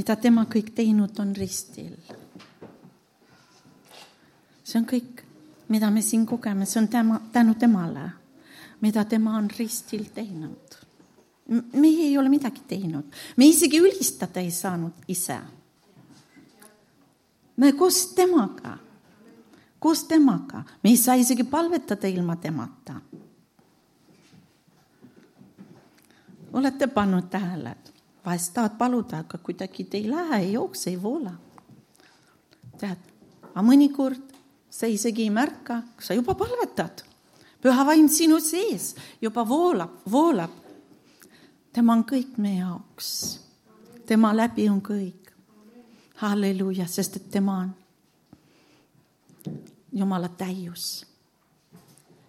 mida tema kõik teinud on ristil. See on kõik, mida me siin kogeme, see on tänu temale, mida tema on ristil teinud. Meie ei ole midagi teinud. Me isegi ülistada ei saanud ise. Me koos temaga. Me ei saa isegi palvetada ilma temata. Olete pannud tähele, vahest tahad paluda, aga kuidagi te ei lähe, ei jookse, ei voola. Tead, aga mõnikord sa isegi ei märka, sa juba palvetad. Püha vaim sinu sees juba voolab. Tema on kõik meie jaoks. Tema läbi on kõik. Halleluuja, sest et tema on Jumala täius.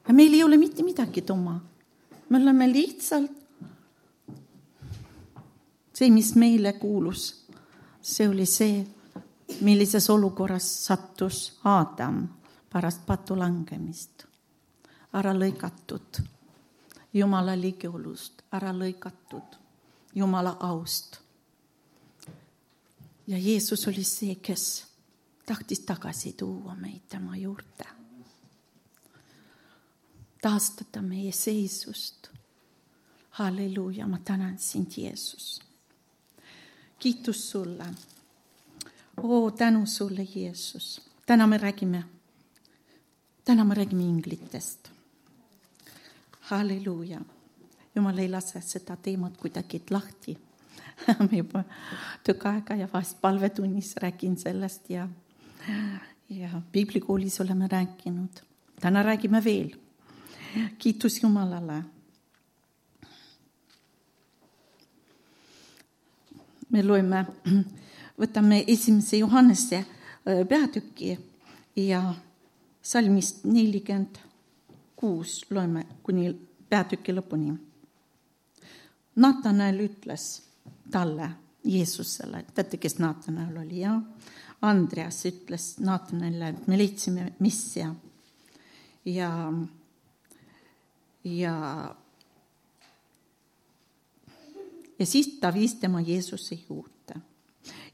Ja meil ei ole mitte midagi oma. Me oleme lihtsalt see, mis meile kuulus. See oli see, millises olukorras sattus Aadam pärast patu langemist. Ära lõikatud Jumala ligiolust, ära lõikatud Jumala aust. Ja Jeesus oli see, kes tahtis tagasi tuua meid tema juurde. Taastada meie seisust. Halleluuja, ma tänan sind, Jeesus. Kiitus sulle. Tänu sulle, Jeesus. Täna me räägime inglitest. Halleluuja. Jumal ei lase seda teemat kuidagi lahti. Me juba tükk aega ja vahest palvetunnis räägin sellest ja piiblikoolis oleme rääkinud. Täna räägime veel. Kiitus Jumalale. Me võtame 1. Johannese peatüki ja salmist 46 loeme kuni peatüki lõpuni. Nathanael ütles talle, Jeesusele, teate, kes Nathanael oli, ja Andreas ütles Nathanaelile, et me leidsime Messia ja siis ta viis tema Jeesuse juurde.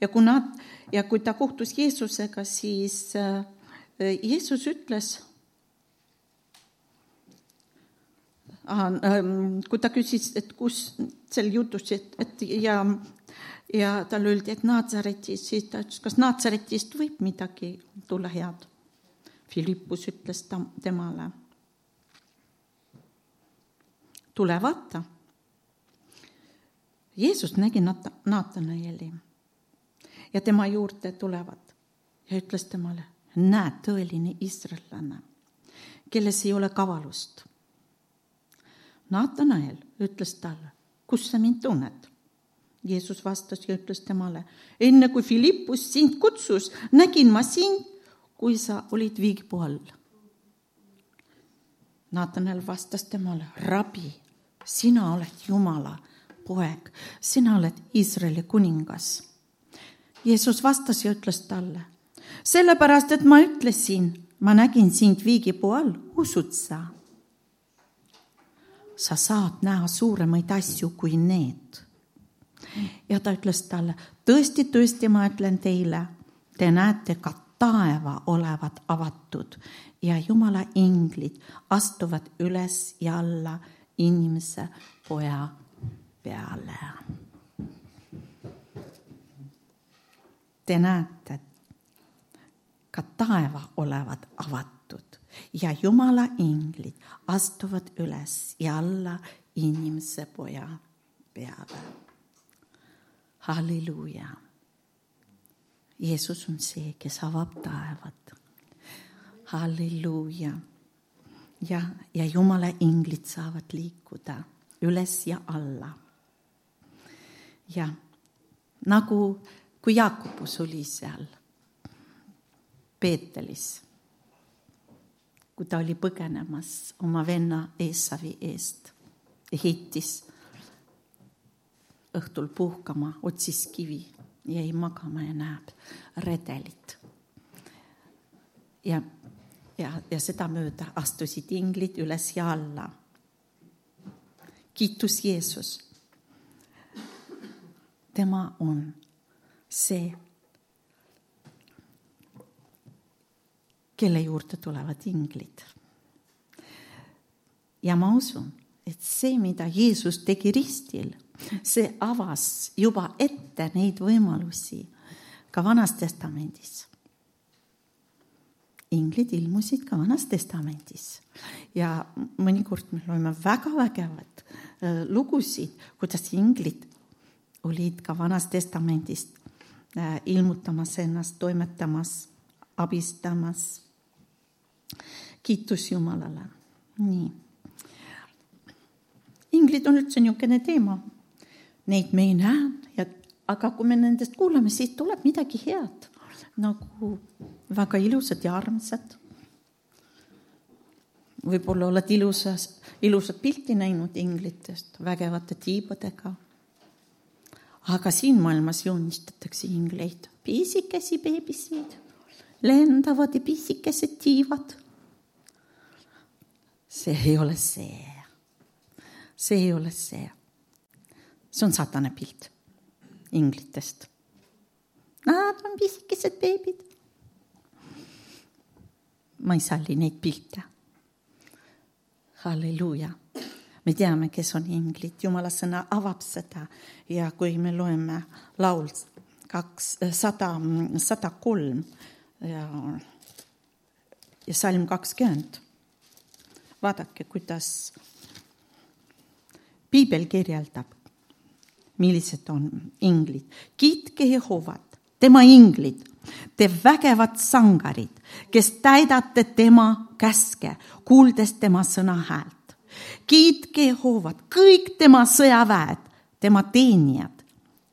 Ja kui ta kohtus Jeesusega, siis Jeesus ütles, kui ta küsis, et kus sel jutus, ja tal öeldi, et Naatsaretist, siis ta ütles, kas Naatsaretist võib midagi tulla head. Filippus ütles temale, tule vaata. Jeesus nägi Nathanaeli ja tema juurde tulevad ja ütles temale, näed tõeline Iisraellane, kelles ei ole kavalust. Nathanael ütles talle, kus sa mind tunned? Jeesus vastas ja ütles temale, enne kui Filippus sind kutsus, nägin ma sind, kui sa olid viigipuu all. Nathanael vastas temale, Rabi, sina oled Jumala poeg, sina oled Iisraeli kuningas. Jeesus vastas ja ütles talle, sellepärast, et ma ütlesin, ma nägin sind viigipuu all, usud sa? Sa saad näha suuremaid asju kui need. Ja ta ütles talle, tõesti, ma ütlen teile, te näete ka taeva olevat avatud ja Jumala inglid astuvad üles ja alla inimese poja peale. Te näete ka taeva olevat avatud ja Jumala inglid astuvad üles ja alla inimese poja peale. Halleluuja. Jeesus on see, kes avab taevad. Halleluuja. Ja Jumala inglid saavad liikuda üles ja alla. Ja nagu kui Jaakobus oli seal Peetelis, kui ta oli põgenemas oma venna Eesavi eest ja heitis õhtul puhkama, otsis kivi, jäi magama ja näeb redelit. Ja seda mööda astusid inglid üles ja alla. Kiitus Jeesus. Tema on see, kelle juurde tulevad inglid. Ja ma usun, et see, mida Jeesus tegi ristil, see avas juba ette neid võimalusi ka Vanas Testamendis. Inglid ilmusid ka Vanas Testamendis ja mõnikord me loeme väga vägevad lugusid, kuidas inglid olid ka Vanas Testamendist ilmutamas ennast, toimetamas, abistamas. Kiitus Jumalale. Nii. Inglid on üldse niisugune teema. Neid me ei näe, aga kui me nendest kuulame, siis tuleb midagi head. Nagu väga ilusad ja armsad. Võib-olla oled ilusat pilti näinud inglitest, vägevate tiibadega. Aga siin maailmas joonistatakse ingleid. Pisikesi beebisid, lendavad ja pisikesed tiivad. See ei ole see. See ei ole see. See on satane pilt inglitest. Nad on pisikesed beebid. Ma ei salli neid pilte. Halleluuja. Me teame, kes on inglid. Jumala sõna avab seda. Ja kui me loeme laul 103 ja salm 20, vaadake, kuidas Piibel kirjeldab, millised on inglid. Kiitke Jehovat, tema inglid, te vägevad sangarid, kes täidate tema käske, kuuldes tema sõna häält. Kiitke Jehovat, kõik tema sõjaväed, tema teenijad,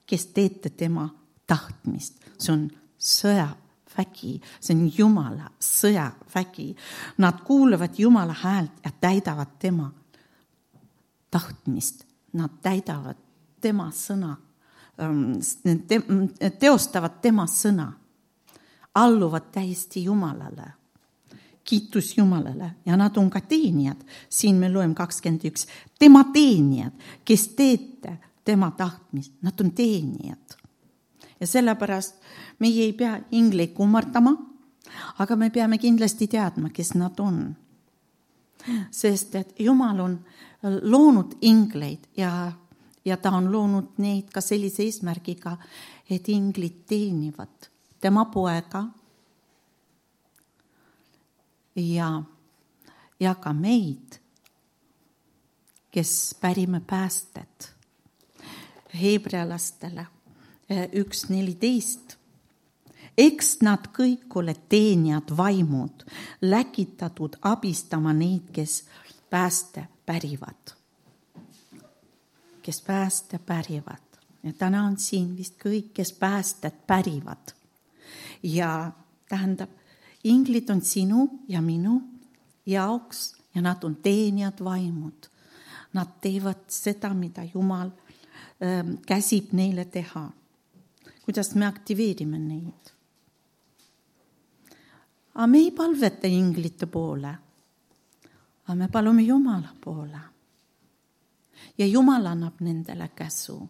kes teete tema tahtmist. See on sõjavägi, see on Jumala sõjavägi. Nad kuulevad Jumala häält ja täidavad tema tahtmist. Nad täidavad tema sõna, teostavad tema sõna, alluvad täiesti Jumalale. Kiitus Jumalale ja nad on ka teenijad. Siin me loeme 21. Tema teenijad, kes teete tema tahtmist, nad on teenijad. Ja sellepärast meie ei pea ingleid kummardama, aga me peame kindlasti teadma, kes nad on. Sest et Jumal on loonud ingleid ja ta on loonud neid ka sellise eesmärgiga, et inglid teenivad tema poega ja ka meid, kes pärime päästet. Heebrealastele 1.14. Eks nad kõik ole teenijad vaimud, läkitatud abistama neid, kes pääste pärivad. Kes pääste pärivad. Ja täna on siin vist kõik, kes päästet pärivad. Ja tähendab, inglid on sinu ja minu jaoks ja nad on teenijad vaimud. Nad teevad seda, mida Jumal käsib neile teha. Kuidas me aktiveerime neid? Aga me ei palveta inglite poole, aga me palume Jumala poole. Ja Jumal annab nendele käsu.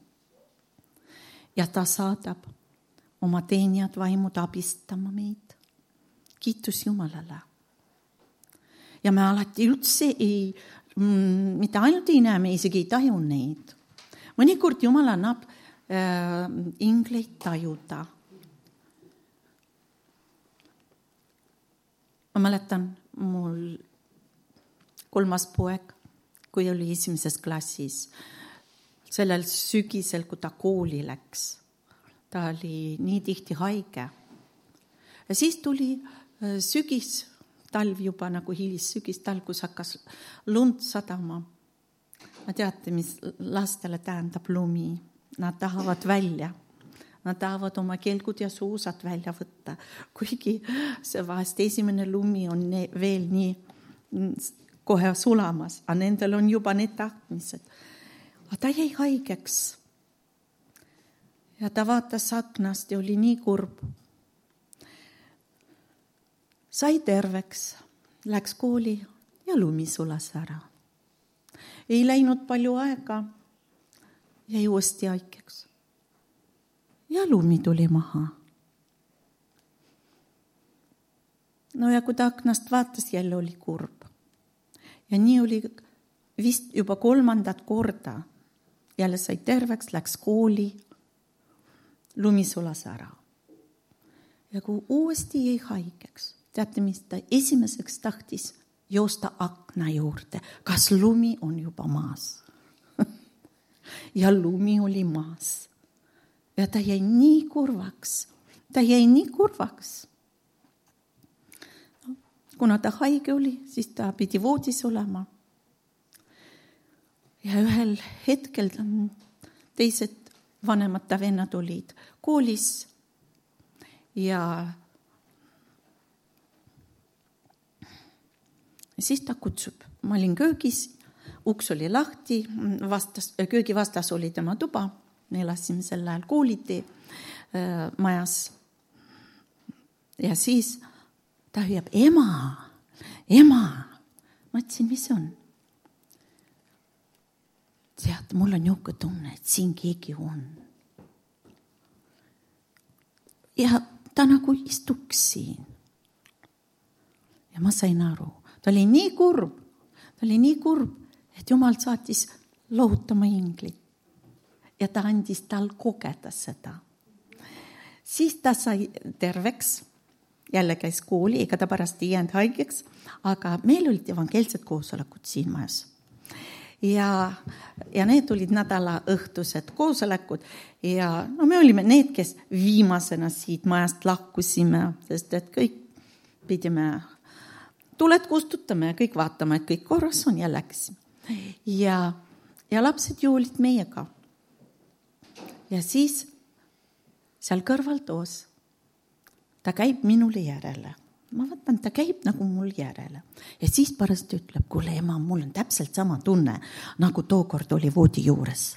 Ja ta saadab oma teenijad vaimud abistama meid. Kiitus Jumalale. Ja me alati üldse mitte ainult ei näe, me isegi ei taju neid. Mõnikord Jumal annab ingleid tajuda. Ma mäletan mul 3. poeg, kui oli 1. klassis, sellel sügisel, kui ta kooli läks. Ta oli nii tihti haige. Ja siis tuli sügis, talv juba nagu hilis sügis, talv, kus hakkas lund sadama. Ma teate, mis lastele tähendab lumi. Nad tahavad välja. Nad tahavad oma kelgud ja suusad välja võtta. Kuigi see vahest esimene lumi on veel nii kohe sulamas, aga nendel on juba need tahtmised. Aga ta jäi haigeks. Ja ta vaatas aknast ja oli nii kurb. Sai terveks, läks kooli ja lumi sulas ära. Ei läinud palju aega, jäi uuesti haigeks. ja lumi tuli maha. No ja kui ta aknast vaatas, jälle oli kurb. Ja nii oli vist juba 3. korda. Jälle sai terveks, läks kooli, lumi sulas ära. Ja kui uuesti jäi haigeks, teate, mis ta esimeseks tahtis joosta akna juurde, kas lumi on juba maas. Ja lumi oli maas. Ja ta jäi nii kurvaks. Kuna ta haige oli, siis ta pidi voodis olema. Ja ühel hetkel teised vanemad ta vennad olid koolis ja siis ta kutsub. Ma olin köögis, uks oli lahti, köögi vastas oli tema tuba. Me elasime sel ajal koolitee majas. Ja siis ta hüüab, ema. Ma ütlesin, mis on? Tead, mul on niuke tunne, et siin keegi on. Ja ta nagu istuks siin. Ja ma sain aru. Ta oli nii kurb, et Jumal saatis lohutama inglit. Ja ta andis tal kogeda seda. Siis ta sai terveks. Jälle käis kooli, ega ta pärast ei jäänud haigeks, aga meil olid evangeelsed koosolekud siin majas. Ja need olid nädala õhtused koosolekud ja no me olime need, kes viimasena siit majast lahkusime, sest et kõik pidime tuled kustutama ja kõik vaatama, et kõik korras on ja läksime. Ja lapsed ju olid meiega. Ja siis seal kõrval toos ta käib minule järele. Ma vaatan, ta käib nagu mul järele. Ja siis pärast ütleb, kuule ema, mul on täpselt sama tunne, nagu tookord oli voodi juures.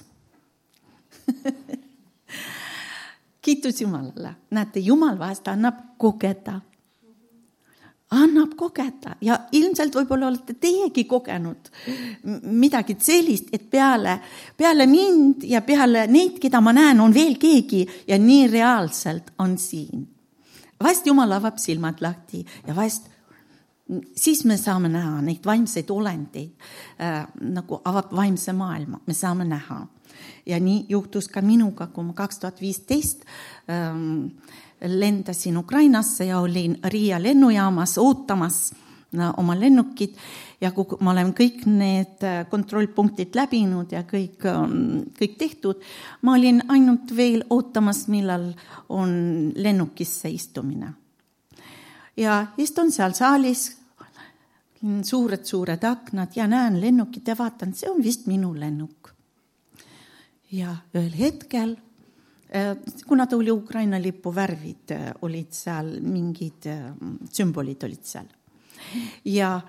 Kiitus Jumalale. Näete, Jumal vahest annab kogeda. Ja ilmselt võib-olla olete teiegi kogenud midagi sellist, et peale mind ja peale neid, keda ma näen, on veel keegi ja nii reaalselt on siin. Vahest Jumal avab silmad lahti ja vahest siis me saame näha neid vaimseid olendeid, nagu avab vaimse maailma, me saame näha. Ja nii juhtus ka minuga, kui ma 2015 lendasin Ukrainasse ja olin Riia lennujaamas ootamas oma lennukid ja kui ma olen kõik need kontrollpunktid läbinud ja kõik tehtud, ma olin ainult veel ootamas, millal on lennukisse istumine. Ja istun seal saalis, suured aknad ja näen lennukit ja vaatan, see on vist minu lennuk. Ja ühel hetkel, kuna ta oli Ukraina lipu värvid, olid seal mingid sümbolid olid seal. Ja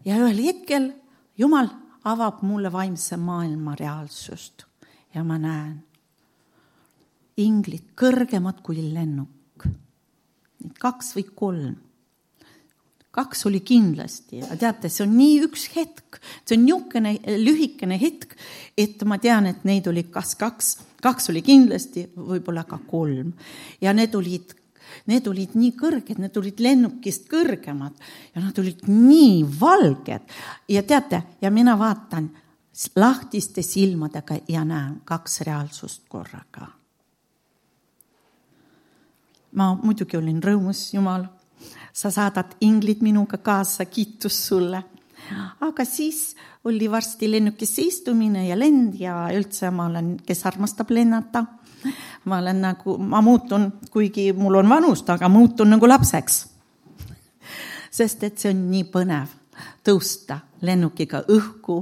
ühel hetkel Jumal avab mulle vaimse maailma reaalsust ja ma näen inglid kõrgemad kui lennuk. 2 või 3. 2 oli kindlasti. Teate, see on nii üks hetk. See on niisugune lühikene hetk, et ma tean, et neid oli kas 2. 2 oli kindlasti, võib-olla ka 3. Ja need olid nii kõrged, need olid lennukist kõrgemad ja nad olid nii valged. Ja teate, ja mina vaatan lahtiste silmadega ja näen 2 reaalsust korraga. Ma muidugi olin rõõmus, Jumal, sa saadad inglid minuga kaasa, kiitus sulle. Aga siis oli varsti lennukisse istumine ja lend ja üldse ma olen, kes armastab lennata. Ma muutun, kuigi mul on vanust, aga muutun nagu lapseks. Sest et see on nii põnev tõusta lennukiga õhku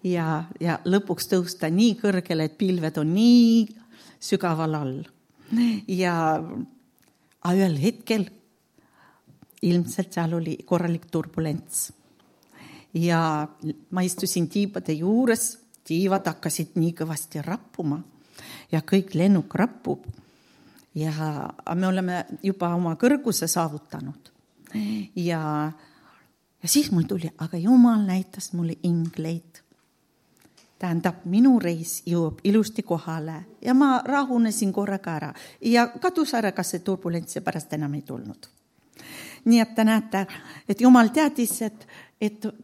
ja lõpuks tõusta nii kõrgele, et pilved on nii sügaval all. Ja ühel hetkel ilmselt seal oli korralik turbulents. Ja ma istusin tiibade juures, tiivad hakkasid nii kõvasti rappuma ja kõik lennuk rappub. Ja me oleme juba oma kõrguse saavutanud. Ja siis mul tuli, aga Jumal näitas mulle ingleid. tähendab, minu reis jõuab ilusti kohale ja ma rahunesin korraga ära ja kadus ära, kas see turbulents ja pärast enam ei tulnud. Nii et te näete, et Jumal teadis, et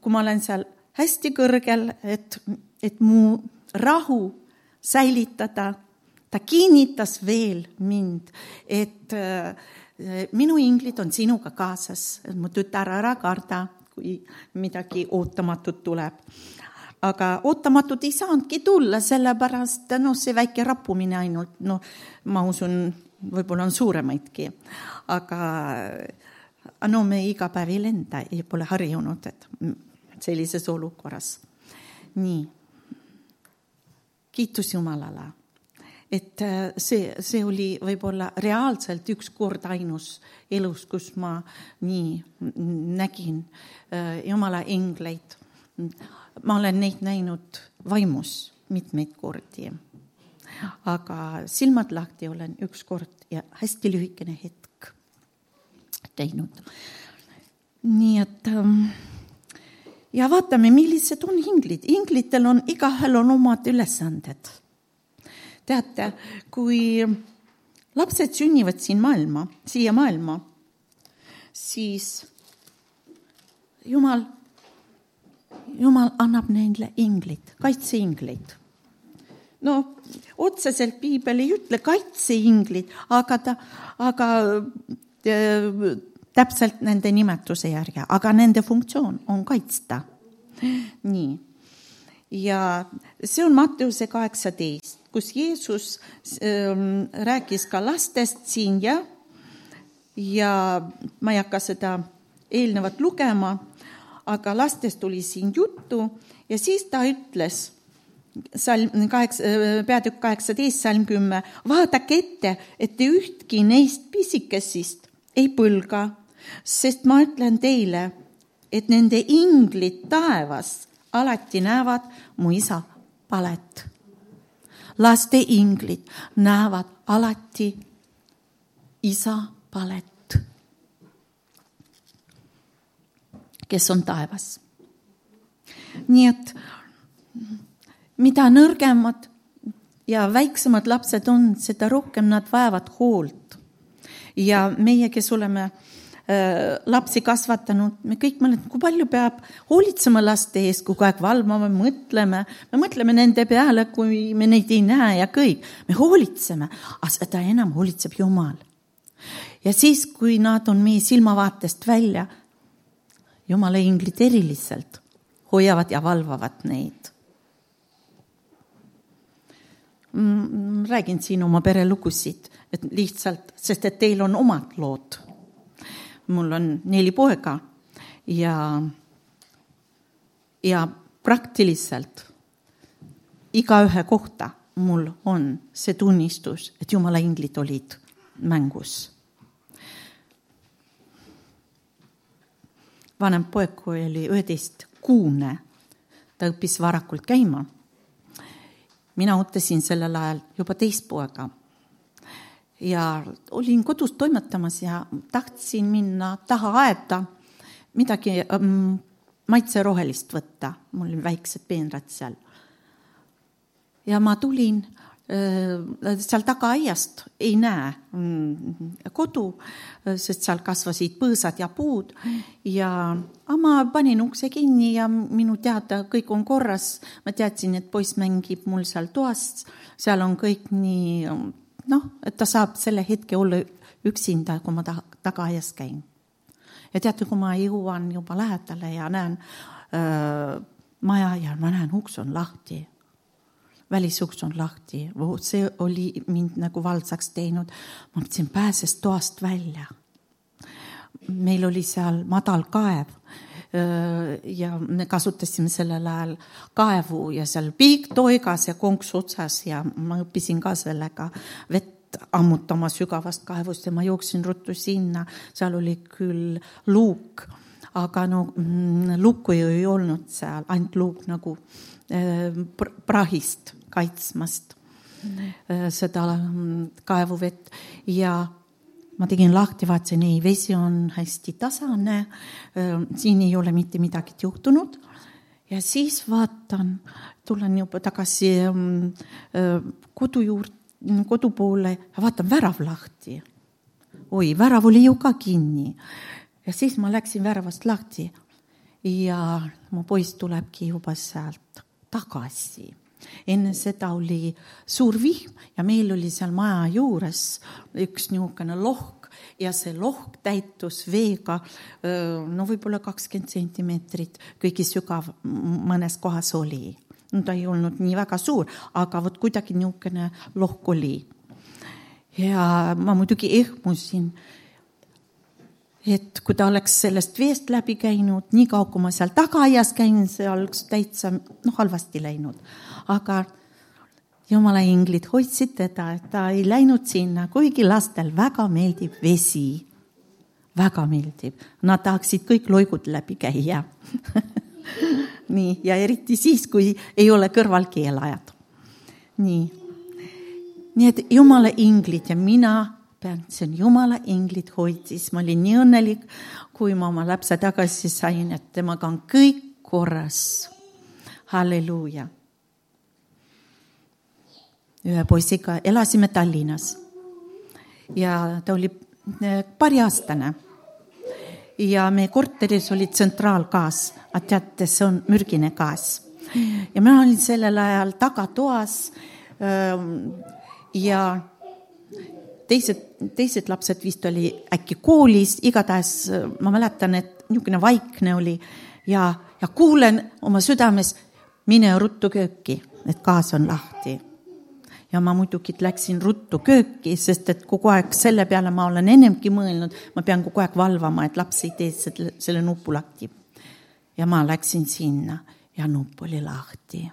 kui ma olen seal hästi kõrgel, et mu rahu säilitada, ta kinnitas veel mind, et minu inglid on sinuga kaasas, et mu tütar ära karda, kui midagi ootamatut tuleb. Aga ootamatut ei saanudki tulla, sellepärast see väike rappumine ainult, ma usun, võib-olla on suuremaidki. Aga me iga päev ei lenda ja pole harjunud, et sellises olukorras. Nii, kiitus Jumalale, et see oli võib-olla reaalselt üks kord ainus elus, kus ma nii nägin Jumala engleid. Ma olen neid näinud vaimus mitmeid kordi, aga silmad lahti olen üks kord ja hästi lühikene hetk teinud. Nii et ja vaatame, millised on inglid. Inglitel on, igahel on omad ülesanded. Teate, kui lapsed sünnivad siia maailma, siis Jumal annab neile inglid, kaitseinglid. Otseselt piibel ei ütle kaitseinglid, aga täpselt nende nimetuse järgi, aga nende funktsioon on kaitsta. Nii. Ja see on Matteuse 18, kus Jeesus rääkis ka lastest siin ja ma ei hakka seda eelnevat lugema, aga lastest tuli siin juttu ja siis ta ütles, peatükk 18, salm 10, vaadake ette, et te ühtki neist pisikesist ei põlga, sest ma ütlen teile, et nende inglid taevas alati näevad mu isa palet. Laste inglid näevad alati isa palet, kes on taevas. Nii et mida nõrgemad ja väiksemad lapsed on, seda rohkem nad vajavad hoolt. Ja meie, kes oleme lapsi kasvatanud, me kõik mõtleme, kui palju peab hoolitsema laste ees, kui aeg valvama, me mõtleme nende peale, kui me neid ei näe ja kõik. Me hoolitseme, aga seda enam hoolitseb Jumal. Ja siis, kui nad on meie silmavaatest välja, Jumala inglid eriliselt hoiavad ja valvavad neid. Räägin siin oma perelugusid, et lihtsalt, sest et teil on omad lood. Mul on 4 poega ja praktiliselt igaühe kohta mul on see tunnistus, et Jumala inglid olid mängus. Vanem poeg, kui oli 11-kuune, ta õppis varakult käima. Mina ootasin sellel ajal juba 2 poega. Ja olin kodus toimetamas ja tahtsin minna taha aeda midagi maitse rohelist võtta. Mul oli väiksed peenrad seal. Ja ma tulin seal taga aiast, ei näe kodu, sest seal kasvasid põõsad ja puud. Ja ma panin ukse kinni ja minu teada kõik on korras. Ma teadsin, et poiss mängib mul seal toas. Seal on kõik nii, et ta saab selle hetke olla üksinda, kui ma taga aias käin. Ja teate, kui ma jõuan juba lähedale ja näen maja ja ma näen, uks on lahti. Välisuks on lahti. See oli mind nagu valdsaks teinud. Ma mõtlesin, pääses toast välja. Meil oli seal madal kaev ja me kasutasime sellel ajal kaevu ja seal piik toigas ja konks otsas ja ma õppisin ka sellega vett ammutama sügavast kaevust ja ma jooksin ruttu sinna. Seal oli küll luuk, aga luuku ju ei olnud seal, ainult luuk nagu prahist kaitsmast seda kaevuvett ja ma tegin lahti, vaatasin, vesi on hästi tasane, siin ei ole mitte midagi juhtunud Ja siis vaatan, tulen juba tagasi kodu poole ja vaatan värav lahti. Oi, värav oli ju ka kinni. Ja siis ma läksin väravast lahti ja mu poiss tulebki juba sealt tagasi. Enne seda oli suur vihm ja meil oli seal maja juures üks niisugune lohk ja see lohk täitus veega, no võib-olla 20 sentimeetrit, kõigi sügav mõnes kohas oli. No, ta ei olnud nii väga suur, aga võt kuidagi niisugune lohk oli. Ja ma muidugi ehmusin, et kui ta oleks sellest veest läbi käinud, nii kaua kui ma seal tagaaias käin, see oleks täitsa halvasti läinud. Aga Jumala inglid hoidsid teda, et ta ei läinud sinna, kuigi lastel väga meeldib vesi. Väga meeldib. Nad tahaksid kõik loigud läbi käia. Nii, ja eriti siis, kui ei ole kõrval keelajad. Nii et Jumala inglid ja mina pean, see on Jumala inglid hoidis. Ma olin nii õnnelik, kui ma oma lapse tagasi sain, et temaga on kõik korras. Halleluuja. Ühe poisiga elasime Tallinnas ja ta oli pariaastane ja meie korteris oli tsentraalgaas, aga teate, see on mürgine gaas. Ja ma olin sellel ajal tagatoas ja teised lapsed vist oli äkki koolis, igatahes ma mäletan, et niisugune vaikne oli ja kuulen oma südames, mine ruttu kööki, et gaas on lahti. Ja ma muidugi läksin ruttu kööki, sest et kogu aeg selle peale ma olen ennemgi mõelnud, ma pean kogu aeg valvama, et laps ei tee selle nupu lahti. Ja ma läksin sinna ja nupp oli lahti.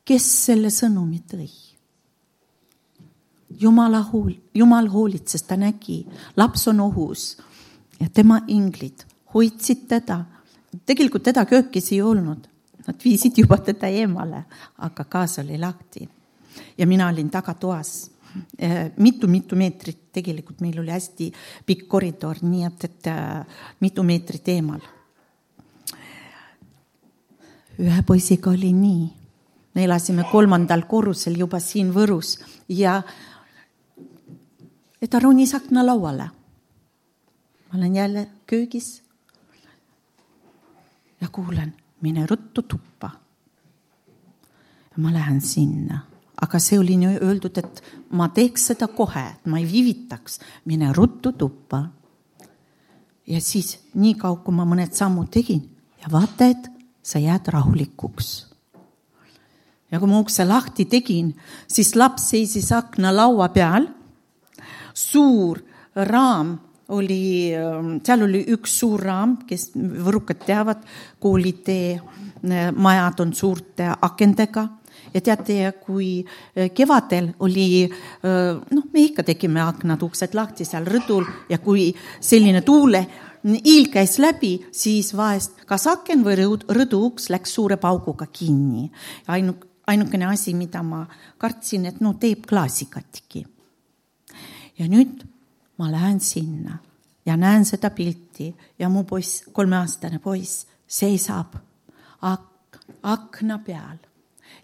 Kes selle sõnumi tõi? Jumal hoolitses, ta nägi, laps on ohus ja tema inglid hoidsid teda. Tegelikult teda köökis ei olnud. Nad viisid juba teda eemale, aga gaas oli lahti. Ja mina olin tagatoas. Mitu meetrit, tegelikult meil oli hästi pikk koridor, nii et mitu meetrit eemal. Ühe poisiga oli nii. Me elasime 3. korrusel juba siin Võrus ja ta ronis akna lauale. Ma olen jälle köögis ja kuulen, mine ruttu tuppa. Ja ma lähen sinna. Aga see oli nii öeldud, et ma teeks seda kohe, et ma ei viivitaks. Mine ruttu tuppa. Ja siis nii kaua, kui ma mõned sammud tegin ja vaata, et sa jääd rahulikuks. Ja kui ma ukse lahti tegin, siis laps seisis akna laua peal. Suur raam oli, seal oli üks suur raam, kes võrukad teavad, koolitee majad on suurte akendega. Ja teate, kui kevadel oli, me ikka tegime aknad uksed lahti seal rõdul ja kui selline tuule iil käis läbi, siis vahest kas aken või rõdu uks läks suure pauguga kinni. Ainukene asi, mida ma kartsin, et teeb klaasi katki. Ja nüüd ma lähen sinna ja näen seda pilti ja mu poiss, 3-aastane poiss, seisab akna peal.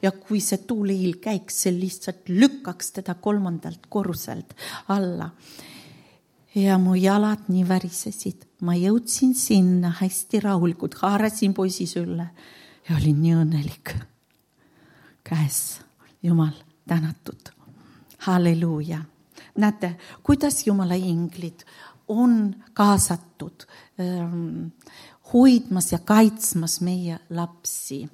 Ja kui see tuuleiil käiks, see lihtsalt lükkaks teda 3. korruselt alla. Ja mu jalad nii värisesid. Ma jõudsin sinna hästi rahulikult, haarasin poisi sülle ja olin nii õnnelik. Käes, Jumal, tänatud. Halleluuja. Näete, kuidas Jumala inglid on kaasatud hoidmas ja kaitsmas meie lapsi.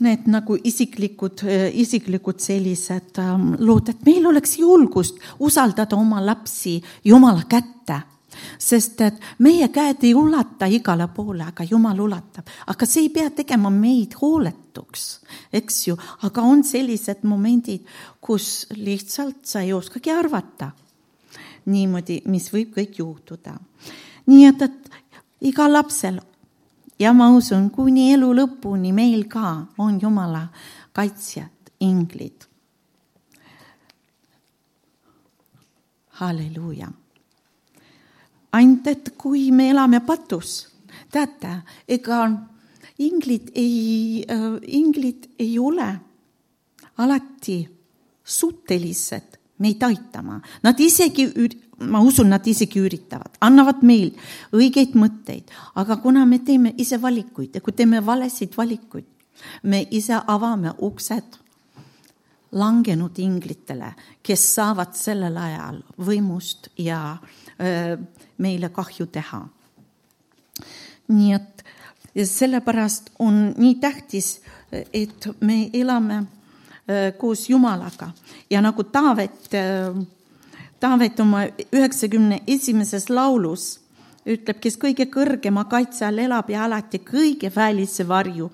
Need nagu isiklikud sellised lood, et meil oleks julgust usaldada oma lapsi Jumala kätte. Sest et meie käed ei ulata igale poole, aga Jumal ulatab. Aga see ei pea tegema meid hooletuks, eks ju. Aga on sellised momendid, kus lihtsalt sa ei oskagi arvata niimoodi, mis võib kõik juhtuda. Nii et iga lapsel, ja ma usun, kuni elu lõpuni meil ka on Jumala kaitsjad, inglid. Halleluuja. ainult, et kui me elame patus, teate, ega inglid ei ole alati suutelised meid aitama. Nad isegi, ma usun, nad isegi üritavad, annavad meil õigeid mõtteid, aga kuna me teeme ise valikuid ja kui teeme valesid valikuid, me ise avame uksed langenud inglitele, kes saavad sellel ajal võimust ja meile kahju teha. Nii et sellepärast on nii tähtis, et me elame koos Jumalaga ja nagu Taavet oma 91. laulus ütleb, kes kõige kõrgema kaitse all elab ja alati kõige väelise varju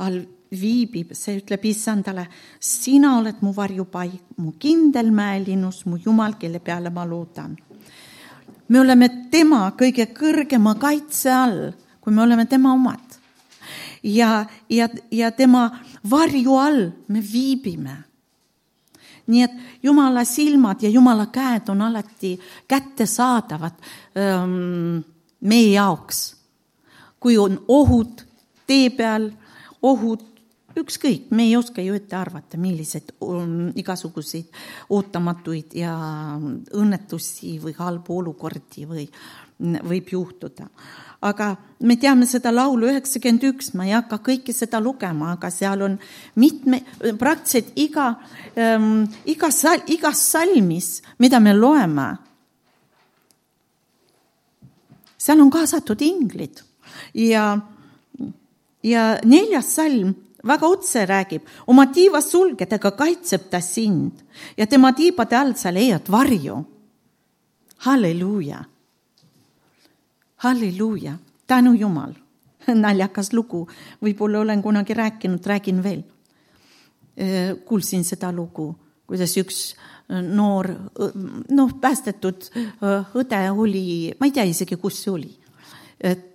all viibib, see ütleb issandale, sina oled mu varjupaik, mu kindel mäelinnus, mu Jumal, kelle peale ma loodan. Me oleme tema kõige kõrgema kaitse all, kui me oleme tema omad. Ja tema varju all me viibime. Nii et Jumala silmad ja Jumala käed on alati kättesaadavad meie jaoks. Kui on ohud tee peal, ohud ükskõik, me ei oska ju ette arvata, millised igasuguseid ootamatuid ja õnnetusi või halbu olukordi võib juhtuda. Aga me teame seda laulu 91, ma ei hakka kõike seda lugema, aga seal on praktiliselt igas salmis, mida me loeme, seal on kaasatud inglid ja 4. salm väga otse räägib, oma tiiva sulgedega kaitseb ta sind ja tema tiibade all sa leiad varju. Halleluuja. Halleluuja, tänu Jumal. Naljakas lugu, võib-olla olen kunagi rääkinud, räägin veel. Kuulsin seda lugu, kuidas üks noor, päästetud õde oli, ma ei tea isegi, kus see oli. Et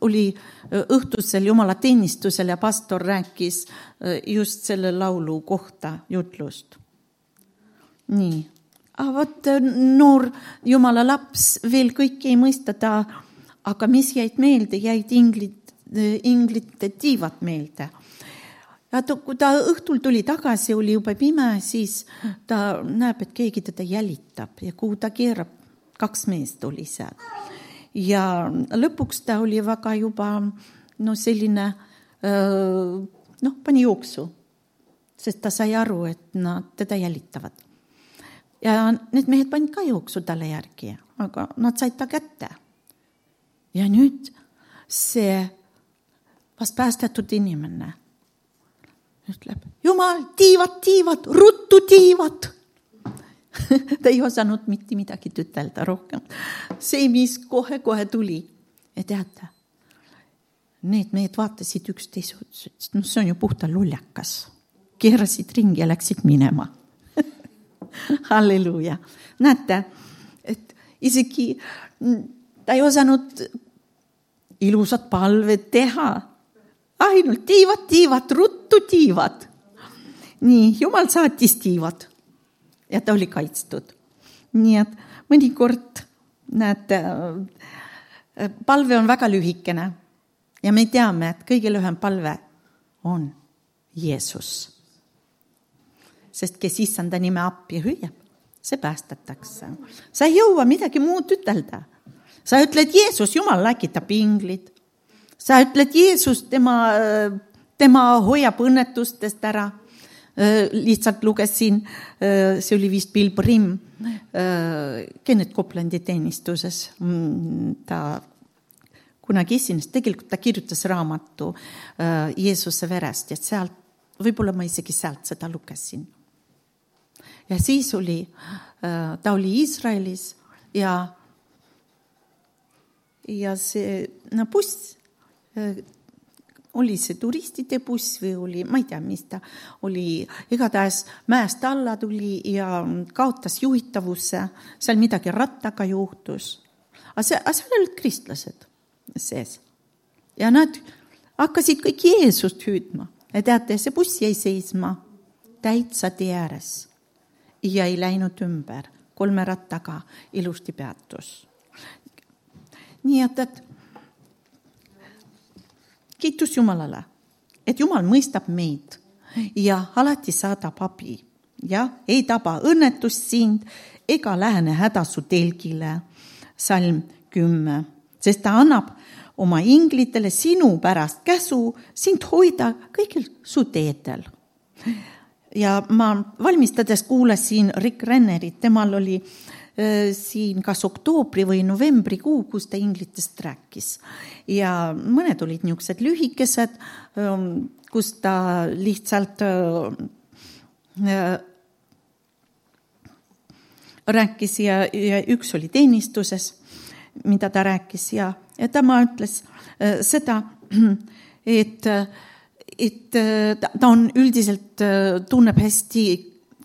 oli õhtusel Jumala teenistusel ja pastor rääkis just selle laulu kohta jutlust. Nii. Vot noor Jumala laps veel kõike ei mõistada, aga mis jäid meelde, jäid inglite tiivad meelde. Ja kui ta õhtul tuli tagasi, oli juba pime, siis ta näeb, et keegi teda jälitab ja kuhu ta keerab, 2 meest oli seal. Ja lõpuks ta oli väga juba selline, pani jooksu, sest ta sai aru, et nad teda jälitavad. Ja need mehed panid ka jooksu talle järgi, aga nad said ta kätte. Ja nüüd see vast päästetud inimene ütleb, Jumal, tiivad, ruttu tiivad. Ta ei osanud mitte midagi ütelda rohkem. See, mis kohe tuli. Ja teate, need mehed vaatasid üksteise, see on ju puhta luljakas. Keerasid ringi ja läksid minema. Halleluuja. Näete, et isegi ta ei osanud ilusat palvet teha. Ainult tiivad, ruttu tiivad. Nii, Jumal saatis tiivad ja ta oli kaitstud. Nii et mõnikord, näete, palve on väga lühikene ja me teame, et kõige lühem palve on Jeesus. Sest kes issanda nime appi hüüab, see päästetakse. Sa ei jõua midagi muud ütelda. Sa ütled Jeesus, Jumal läkitab inglid. Sa ütled Jeesus, tema hoiab õnnetustest ära. Lihtsalt lugesin, see oli vist Bill Brim, Kenneth Coplandi teenistuses. Ta kunagi esines, tegelikult ta kirjutas raamatu Jeesuse verest ja sealt, võib-olla ma isegi sealt seda lugesin. Ja siis ta oli Iisraelis ja see buss, oli see turistide buss või oli, ma ei tea, mis ta oli, igatahes mäest alla tuli ja kaotas juhitavusse, seal midagi rattaga juhtus. Aga seal olid kristlased sees. Ja nad hakkasid kõik Jeesust hüüdma. Ja teate, see buss jäi seisma täitsa tee ääres ja ei läinud ümber. 3 rattaga ilusti peatus. nii et kiitus Jumalale, et Jumal mõistab meid ja alati saadab abi ja ei taba õnnetust sind ega lähene häda su telgile. Salm 10, sest ta annab oma inglitele sinu pärast käsu sind hoida kõigil su teedel. Ja ma valmistades kuulasin Rick Rennerit, temal oli siin kas oktoobri või novembrikuu, kus ta inglitest rääkis. Ja mõned olid niisugused lühikesed, kus ta lihtsalt rääkis ja üks oli teenistuses, mida ta rääkis ja tema ütles seda, et ta on üldiselt tunneb hästi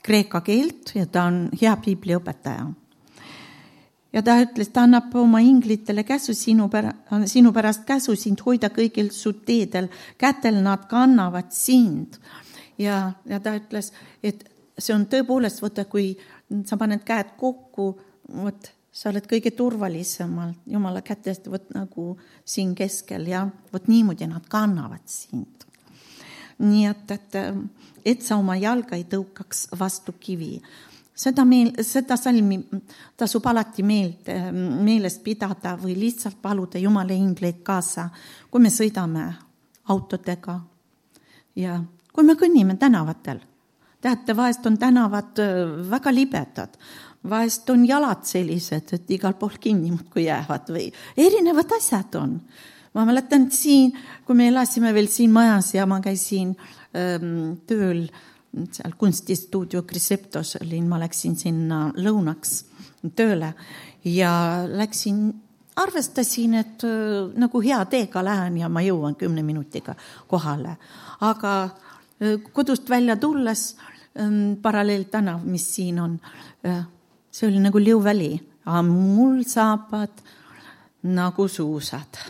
kreeka keelt ja ta on hea piibliõpetaja. Ja ta ütles, ta annab oma inglitele käsu sinu pärast käsu sind hoida kõigil su teedel, kätel nad kannavad sind. Ja ta ütles, et see on tõepoolest, võtta, kui sa paned käed kokku, võt, sa oled kõige turvalisemalt Jumala kätest võt, nagu siin keskel ja võt niimoodi nad kannavad sind. Nii et sa oma jalga ei tõukaks vastu kivi. Seda salmi tasub alati meelest pidada või lihtsalt paluda Jumala ingleid kaasa, kui me sõidame autodega ja kui me kõnnime tänavatel. Teate, vahest on tänavad väga libedad, vahest on jalad sellised, et igal pool kinni muudkui jäävad või erinevad asjad on. Ma mäletan siin, kui me elasime veel siin majas ja ma käisin tööl seal kunstistuudio Criseptos olin, ma läksin sinna lõunaks tööle ja arvestasin, et nagu hea teega lähen ja ma jõuan 10 minutiga kohale. Aga kodust välja tulles paralleeltänav, mis siin on, see oli nagu Liuväli, aga mul saabad nagu suusad.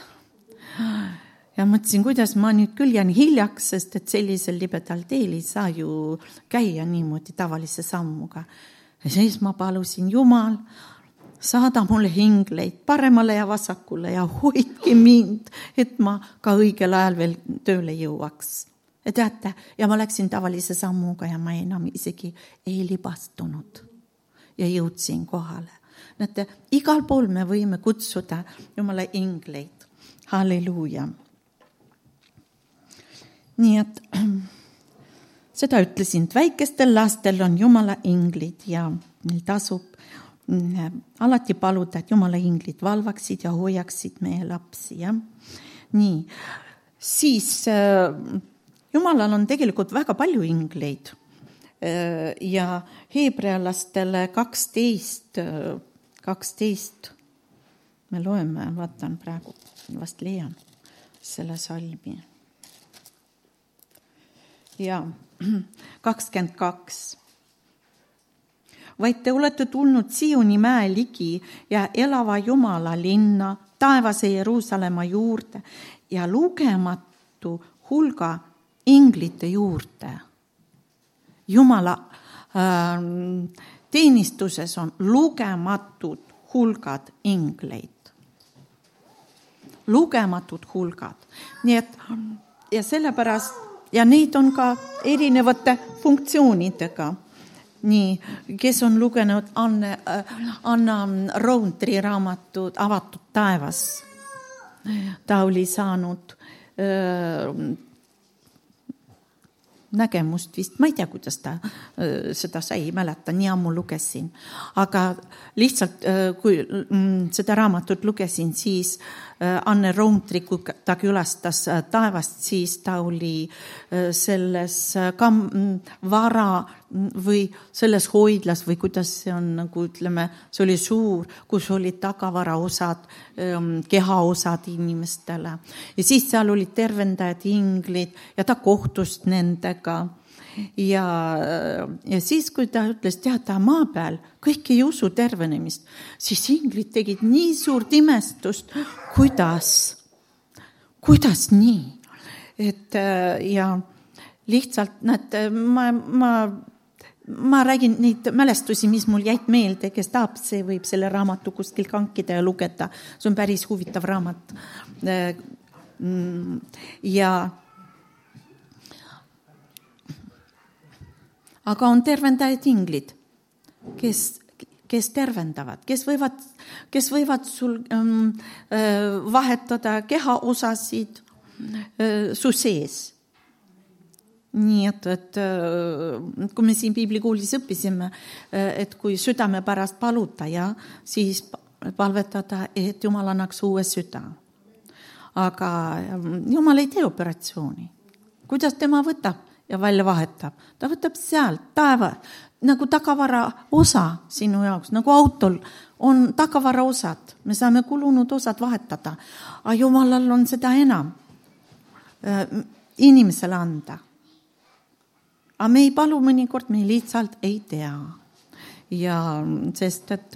Ja mõtlesin, kuidas ma nüüd küll jään hiljaks, sest et sellisel libedal teel ei saa ju käia niimoodi tavalise sammuga. Ja siis ma palusin Jumal, saada mulle ingleid paremale ja vasakule ja hoidki mind, et ma ka õigel ajal veel tööle jõuaks. Ja teate, ja ma läksin tavalise sammuga ja ma enam isegi ei libastunud ja jõudsin kohale. Näete, igal pool me võime kutsuda Jumala ingleid. Halleluuja. Nii et seda ütlesin, et väikestel lastel on Jumala inglid ja neil tasub alati paluda, et Jumala inglid valvaksid ja hoiaksid meie lapsi. Ja? Nii, siis Jumalal on tegelikult väga palju ingleid ja heebrealastele 12 me loeme, vaatan praegu, vast leian selle salmi. Ja 22. Vaid te olete tulnud Sioni mäe ligi ja elava Jumala linna, taevase Jeruusalemma juurde ja lugematu hulga inglite juurde. Jumala teenistuses on lugematud hulgad ingleid. Lugematud hulgad. Nii et, ja sellepärast, ja neid on ka erinevate funktsioonidega. Nii, kes on lugenud Anna Roundtree raamatud Avatud taevas. Ta oli saanud nägemust vist, ma ei tea, kuidas ta seda sai, ei mäleta, nii ammu lugesin. Aga lihtsalt, kui seda raamatut lugesin, siis Anne Roundtree, kui ta külastas taevast, siis ta oli selles vara või selles hoidlas või kuidas see on, nagu ütleme, see oli suur, kus olid tagavara osad, kehaosad inimestele. Ja siis seal olid tervendajad, inglid ja ta kohtus nendega. Ja siis, kui ta ütles, teada maa peal, kõik ei usu tervenemist, siis inglid tegid nii suurt imestust, kuidas nii? Et, ja lihtsalt, näete, ma ma räägin neid mälestusi, mis mul jäid meelde, kes tahab, see võib selle raamatu kuskil kankida ja lugeda. See on päris huvitav raamat. Ja aga on tervendajad inglid, kes tervendavad, kes võivad sul vahetada kehaosasid su sees. Nii et kui me siin piiblikoolis õppisime, et kui südame pärast paluta ja siis palvetada, et Jumal annaks uue süda. Aga Jumal ei tee operatsiooni. Kuidas tema võtab ja välja vahetab? Ta võtab sealt taeva, nagu tagavara osa sinu jaoks, nagu autol on tagavara osad. Me saame kulunud osad vahetada. Aga Jumalal on seda enam inimesele anda. Aga me ei palu mõnikord, me lihtsalt ei tea. Ja sest, et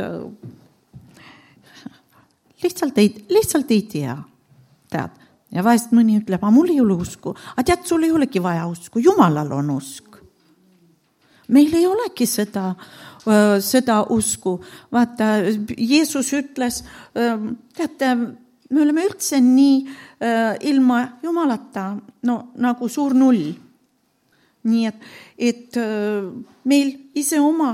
lihtsalt ei tea. Tead. Ja vahest mõni ütleb, mul ei ole usku. Aga tead, sul ei olegi vaja usku. Jumalal on usk. Meil ei olegi seda usku. Vaata, Jeesus ütles, teate, me oleme üldse nii ilma Jumalata, nagu suur null. Nii et meil ise oma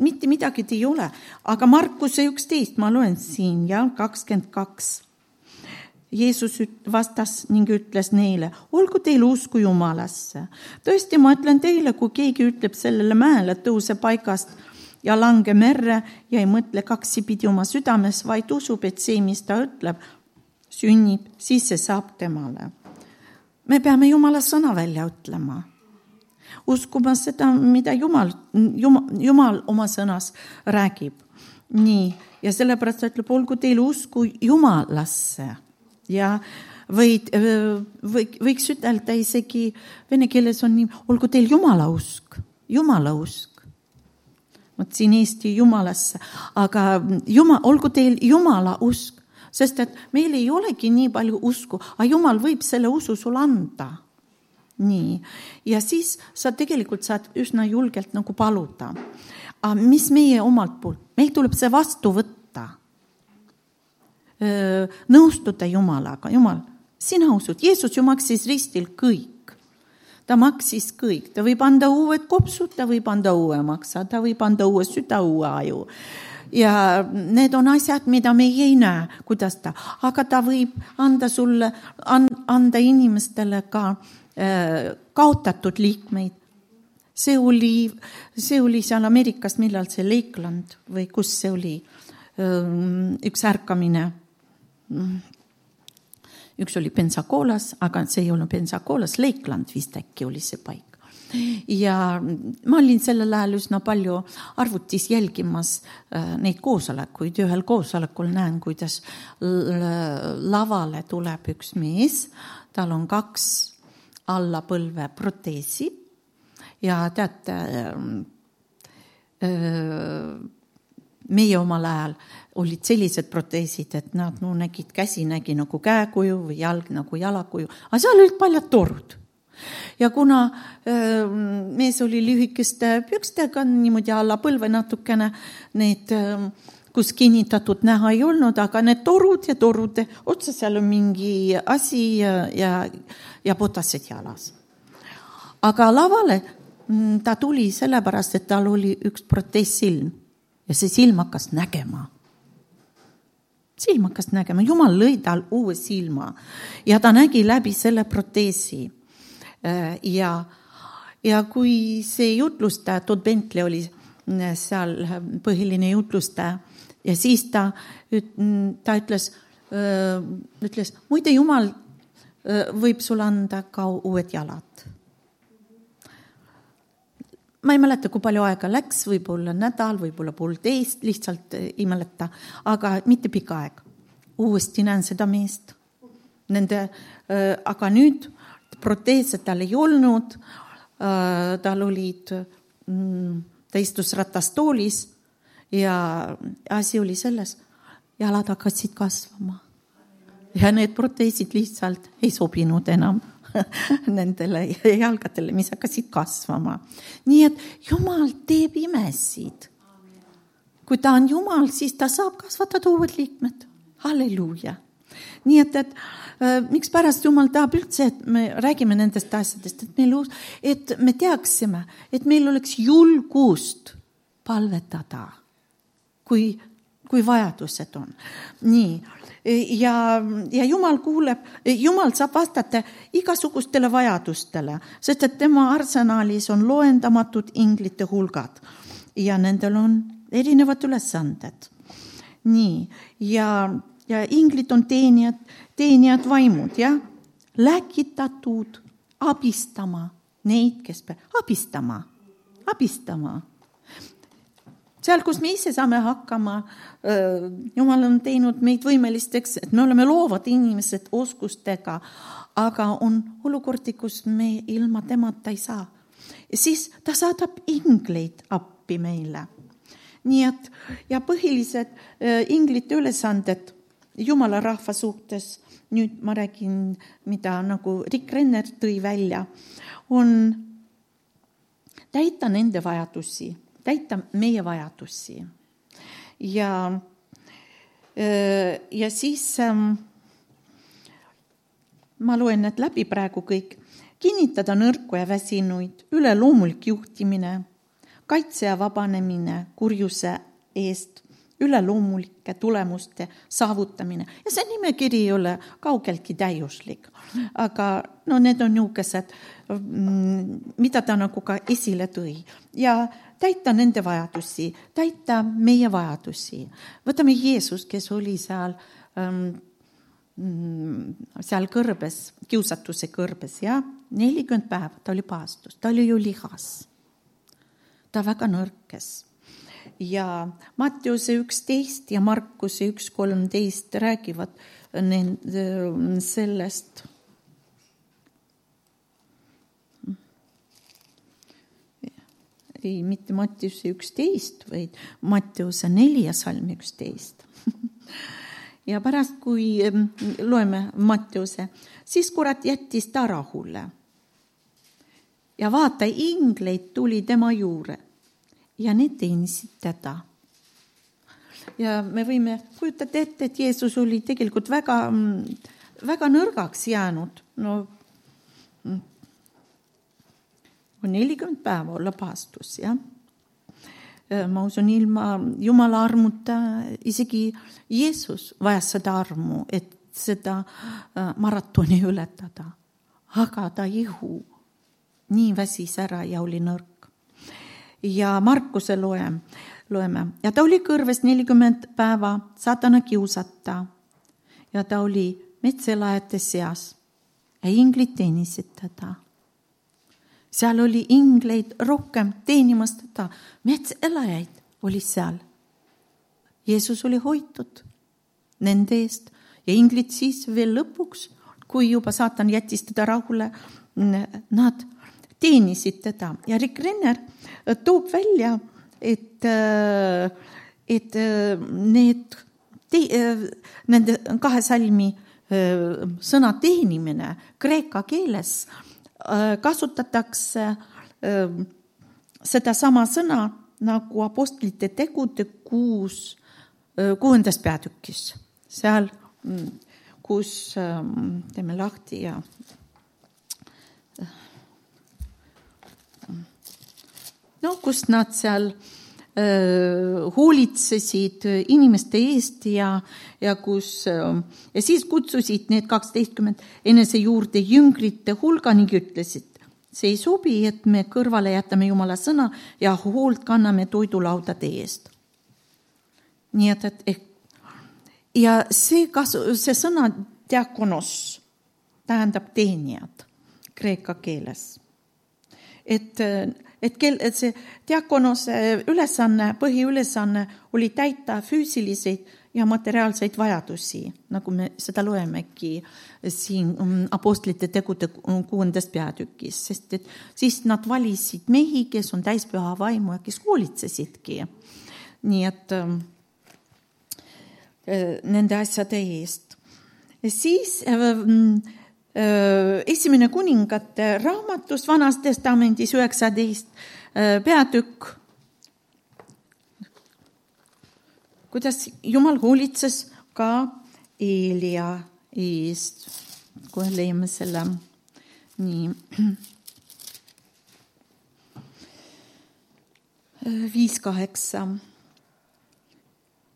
mitte midagi ei ole. Aga Markuse 11, ma loen siin, 22. Jeesus vastas ning ütles neile, olgu teil usku Jumalasse. Tõesti, ma ütlen teile, kui keegi ütleb sellele mäele, tõuse paigast ja lange merre ja ei mõtle kaksipidi oma südames, vaid usub, et see, mis ta ütleb, sünnib, siis see saab temale. Me peame Jumala sõna välja ütlema. Uskuma seda, mida Jumal oma sõnas räägib. Nii, ja sellepärast ütleb, olgu teil usku Jumalasse. Ja võiks ütelda isegi vene keeles on nii, olgu teil Jumala usk. Vot siin Eesti Jumalasse, aga olgu teil Jumala usk, sest et meil ei olegi nii palju usku, aga Jumal võib selle usu sul anda. Nii. Ja siis sa tegelikult saad üsna julgelt nagu paluda. Aga mis meie omalt poolt? Meil tuleb see vastu võtta. Nõustuda Jumalaga. Jumal, sina usud. Jeesus ju maksis ristil kõik. Ta maksis kõik. Ta võib anda uued kopsud, ta võib anda uue maksa, ta võib anda uue süda, uue aju. Ja need on asjad, mida me ei näe, kuidas ta. Aga ta võib anda sulle, anda inimestele ka kaotatud liikmeid. See oli seal Ameerikas, millal see Lakeland või kus see oli üks ärkamine. Üks oli Pensacoolas, aga see ei olnud Pensacoolas, Lakeland vist äkki oli see paik. Ja ma olin sellel ajal üsna palju arvutis jälgimas neid koosolekuid. Ühel koosolekul näen, kuidas lavale tuleb üks mees, tal on 2 alla põlve proteesi ja teate, meie omal ajal olid sellised proteesid, et nad nägid, käsi nägi nagu käekuju või jalg nagu jalakuju, aga seal olid paljad torud. Ja kuna mees oli lühikeste pükstega, niimoodi alla põlve natukene, need kus kinnitatud näha ei olnud, aga need torud ja torude otsa seal on mingi asi ja potased jalas. Aga lavale ta tuli sellepärast, et tal oli üks protees silm ja see silm hakkas nägema. Jumal lõi tal uue silma ja ta nägi läbi selle proteesi. Ja kui see jutlustaja, Todd Bentley oli seal põhiline jutlustaja, ja siis ta ütles, muide Jumal võib sulle anda ka uued jalad. Ma ei mäleta, kui palju aega läks, võib-olla nädal, võib-olla 1,5, lihtsalt ei mäleta, aga mitte pikka aeg. Uuesti näen seda meest. Aga nüüd proteese tal ei olnud, tal olid, ta istus ratastoolis ja asi oli selles, jalad hakkasid kasvama. Ja need proteesid lihtsalt ei sobinud enam. nendele jalgadele, mis hakkasid kasvama. Nii et Jumal teeb imesid. Kui ta on Jumal, siis ta saab kasvatada uued liikmed. Halleluuja. Nii et miks pärast Jumal tahab üldse, et me räägime nendest asjadest, et me teaksime, et meil oleks julgust palvetada, kui vajadused on. Nii. Ja Jumal kuuleb, Jumal saab vastata igasugustele vajadustele, sest et tema arsenalis on loendamatud inglite hulgad ja nendel on erinevad ülesanded. Nii. Ja inglid on teenijad vaimud, ja? Läkitatud abistama neid, kes abistama. Seal, kus me ise saame hakkama, Jumal on teinud meid võimelisteks, et me oleme loovad inimesed oskustega, aga on olukordi, kus me ilma temata ei saa. Ja siis ta saadab ingleid appi meile. Nii et, ja põhilised inglite ülesanded Jumala rahva suhtes, nüüd ma räägin, mida nagu Rick Renner tõi välja, on täita nende vajadusi, täita meie vajadusi. Ja siis ma loen need läbi praegu kõik. Kinnitada nõrku ja väsinuid, üleloomulik juhtimine, kaitse ja vabanemine kurjuse eest, üleloomulike tulemuste saavutamine. Ja see nimekiri ei ole kaugeltki täiuslik. Aga need on niisugused, mida ta nagu ka esile tõi. Ja täita nende vajadusi, täita meie vajadusi. Võtame Jeesus, kes oli seal kõrbes, kiusatuse kõrbes, ja 40 päeva ta oli paastus, ta oli ju lihas. Ta väga nõrkes. Ja Matteuse 11 ja Markuse 1:13 räägivad sellest. Ei, mitte Matteuse 11, vaid Matteuse 4 salm 11. Ja pärast, kui loeme Matteuse, siis kurat jättis ta rahule. Ja vaata, ingleid tuli tema juure ja need teenisid teda. Ja me võime kujutada ette, et Jeesus oli tegelikult väga, väga nõrgaks jäänud. 40 päeva olla paastus, ja? Ma usun, ilma Jumala armuta isegi Jeesus vajas seda armu, et seda maratoni ületada. Aga ta ihu nii väsis ära ja oli nõrk. Ja Markuse loeme. Ja ta oli kõrves 40 päeva saatana kiusata. Ja ta oli metselajate seas. Ja inglid teenisid teda. Seal oli ingleid rohkem teenimast teda. Metselajaid oli seal. Jeesus oli hoitud nende eest. Ja inglid siis veel lõpuks, kui juba saatan jättis teda rahule, nad teenisid teda. Ja Rick Renner toob välja, et nende 2 salmi sõna teenimine kreeka keeles kasutatakse seda sama sõna nagu apostlite tegude 6. peatükis. Seal, kus teeme lahti ja kus nad seal hoolitsesid inimeste eest ja siis kutsusid need 12 enese juurde jüngrite hulga ning ütlesid, see ei sobi, et me kõrvale jätame Jumala sõna ja hoolt kanname toidulaudade eest. Nii et ja see sõna diakonos tähendab teenijad kreeka keeles. Et see diakonose ülesanne, põhiülesanne oli täita füüsiliseid ja materiaalseid vajadusi, nagu me seda loemegi siin apostlite tegude 6. peatükis, sest et siis nad valisid mehi, kes on täispüha vaimu ja kes hoolitsesidki. Nii et nende asjade eest. Siis Esimene kuningate raamatus Vanas Testamendis 19 peatükk, kuidas Jumal hoolitses ka Eelia eest. Kohe leiame selle. Nii. 5:8.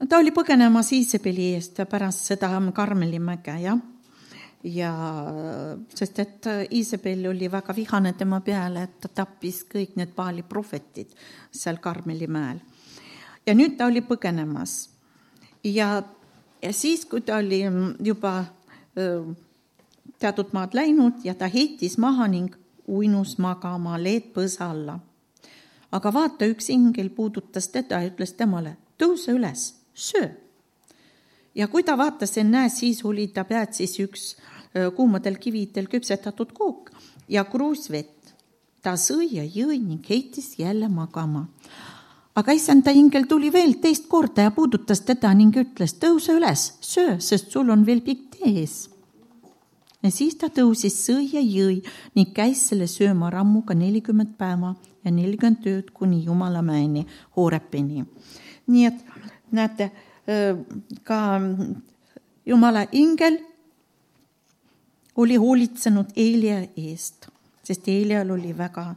Ta oli põgenemas Iisabeli eest pärast seda Karmelimäge, jah. Ja sest et Iisabel oli väga vihane tema peale, et ta tappis kõik need Baali prohvetid seal Karmelimäel. Ja nüüd ta oli põgenemas. Ja siis, kui ta oli juba teatud maad läinud ja ta heitis maha ning uinus magama leedpõõsa alla. Aga vaata, üks ingel puudutas teda ja ütles temale, tõuse üles, söö. Ja kui ta vaatas ennäe, siis oli ta päätsis üks kuumadel kividel küpsetatud kook ja kruus vett. Ta sõi ja jõi ning heitis jälle magama. Aga issanda ingel tuli veel teist korda ja puudutas teda ning ütles, tõuse üles, söö, sest sul on veel pikk tee ees. Ja siis ta tõusis, sõi ja jõi ning käis selle sööma rammuga 40 päeva ja 40 ööd kuni Jumalamäeni Hoorepini. Nii et näete, ka Jumala ingel oli hoolitsenud Eelia eest, sest Eelial oli väga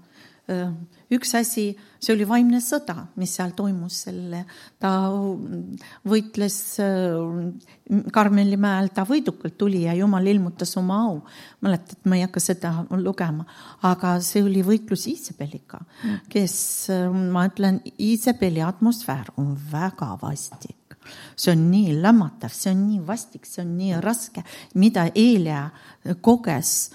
üks asi, see oli vaimne sõda, mis seal toimus selle. Ta võitles Karmelimäel, ta võidukalt tuli ja Jumal ilmutas oma au. Mäletad, ma ei hakka seda lugema, aga see oli võitlus Iisabeliga, kes, ma ütlen, Iisabeli atmosfäär on väga vastik. See on nii lämmatav, see on nii vastik, see on nii raske, mida Eelia koges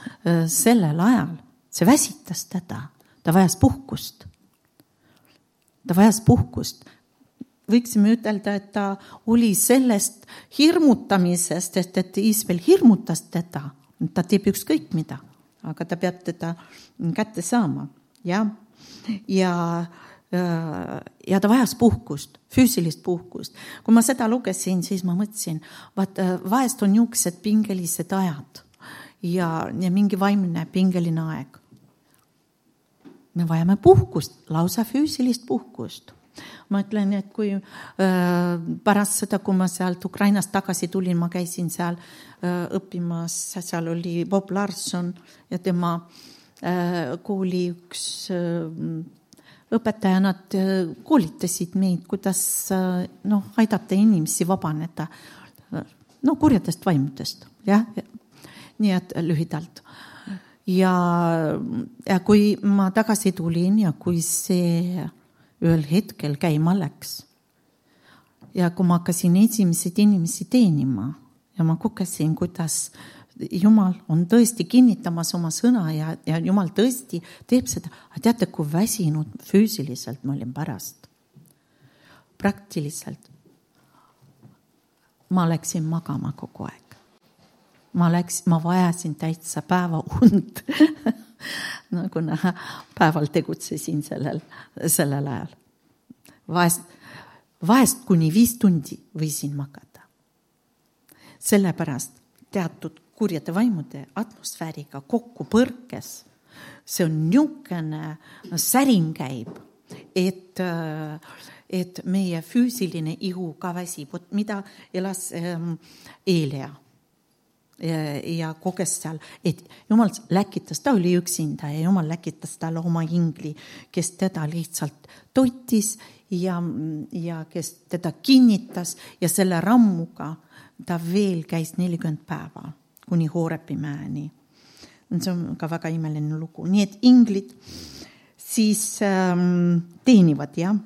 sellel ajal. See väsitas teda. Ta vajas puhkust. Võiksime ütelda, et ta oli sellest hirmutamisest, et Iisabel hirmutas teda. Ta teeb ükskõik mida, aga ta peab teda kätte saama. Ja ta vajas puhkust, füüsilist puhkust. Kui ma seda lugesin, siis ma mõtlesin, vahest on niisugused pingelised ajad ja mingi vaimne pingeline aeg. Me vajame puhkust, lausa füüsilist puhkust. Ma ütlen, et kui pärast seda, kui ma sealt Ukrainast tagasi tulin, ma käisin seal õppimas, seal oli Bob Larson ja tema kooli üks õpetaja, nad koolitasid meid, kuidas aidata inimesi vabaneda kurjadest vaimudest. Ja? Nii et lühidalt. Ja kui ma tagasi tulin ja kui see ühel hetkel käima läks ja kui ma hakkasin esimesed inimesi teenima ja ma kogesin, kuidas Jumal on tõesti kinnitamas oma sõna ja Jumal tõesti teeb seda. Teate, kui väsinud füüsiliselt ma olin pärast. Praktiliselt ma läksin magama kogu aeg. Ma vajasin täitsa päeva und, kuna päeval tegutsesin sellel ajal. Vahest kuni 5 tundi võisin magada. Sellepärast teatud kurjade vaimude atmosfääriga kokku põrkes. See on niisugune säring käib, et meie füüsiline ihu ka väsib, mida elas Eelia. Ja koges seal, et Jumal läkitas, ta oli üksinda ja Jumal läkitas talle oma ingli, kes teda lihtsalt toitis ja kes teda kinnitas ja selle rammuga ta veel käis 40 päeva kuni Hoorepimäeni. See on ka väga imeline lugu. Nii et inglid siis teenivad, jah.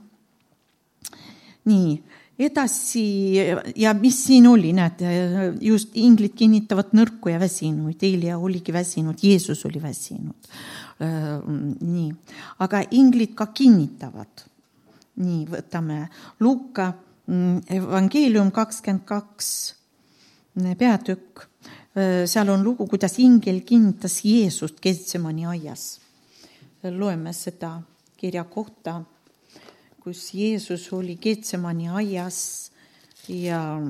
Nii. Edasi, ja mis siin oli, näed, just inglid kinnitavad nõrku ja väsinuid. Eelia oligi väsinud, Jeesus oli väsinud. Nii. Aga inglid ka kinnitavad. Nii, võtame Luuka evangeelium 22 peatükk. Seal on lugu, kuidas ingel kinnitas Jeesust Getsemani aias. Loeme seda kirja kohta, kus Jeesus oli Getsemani aias ja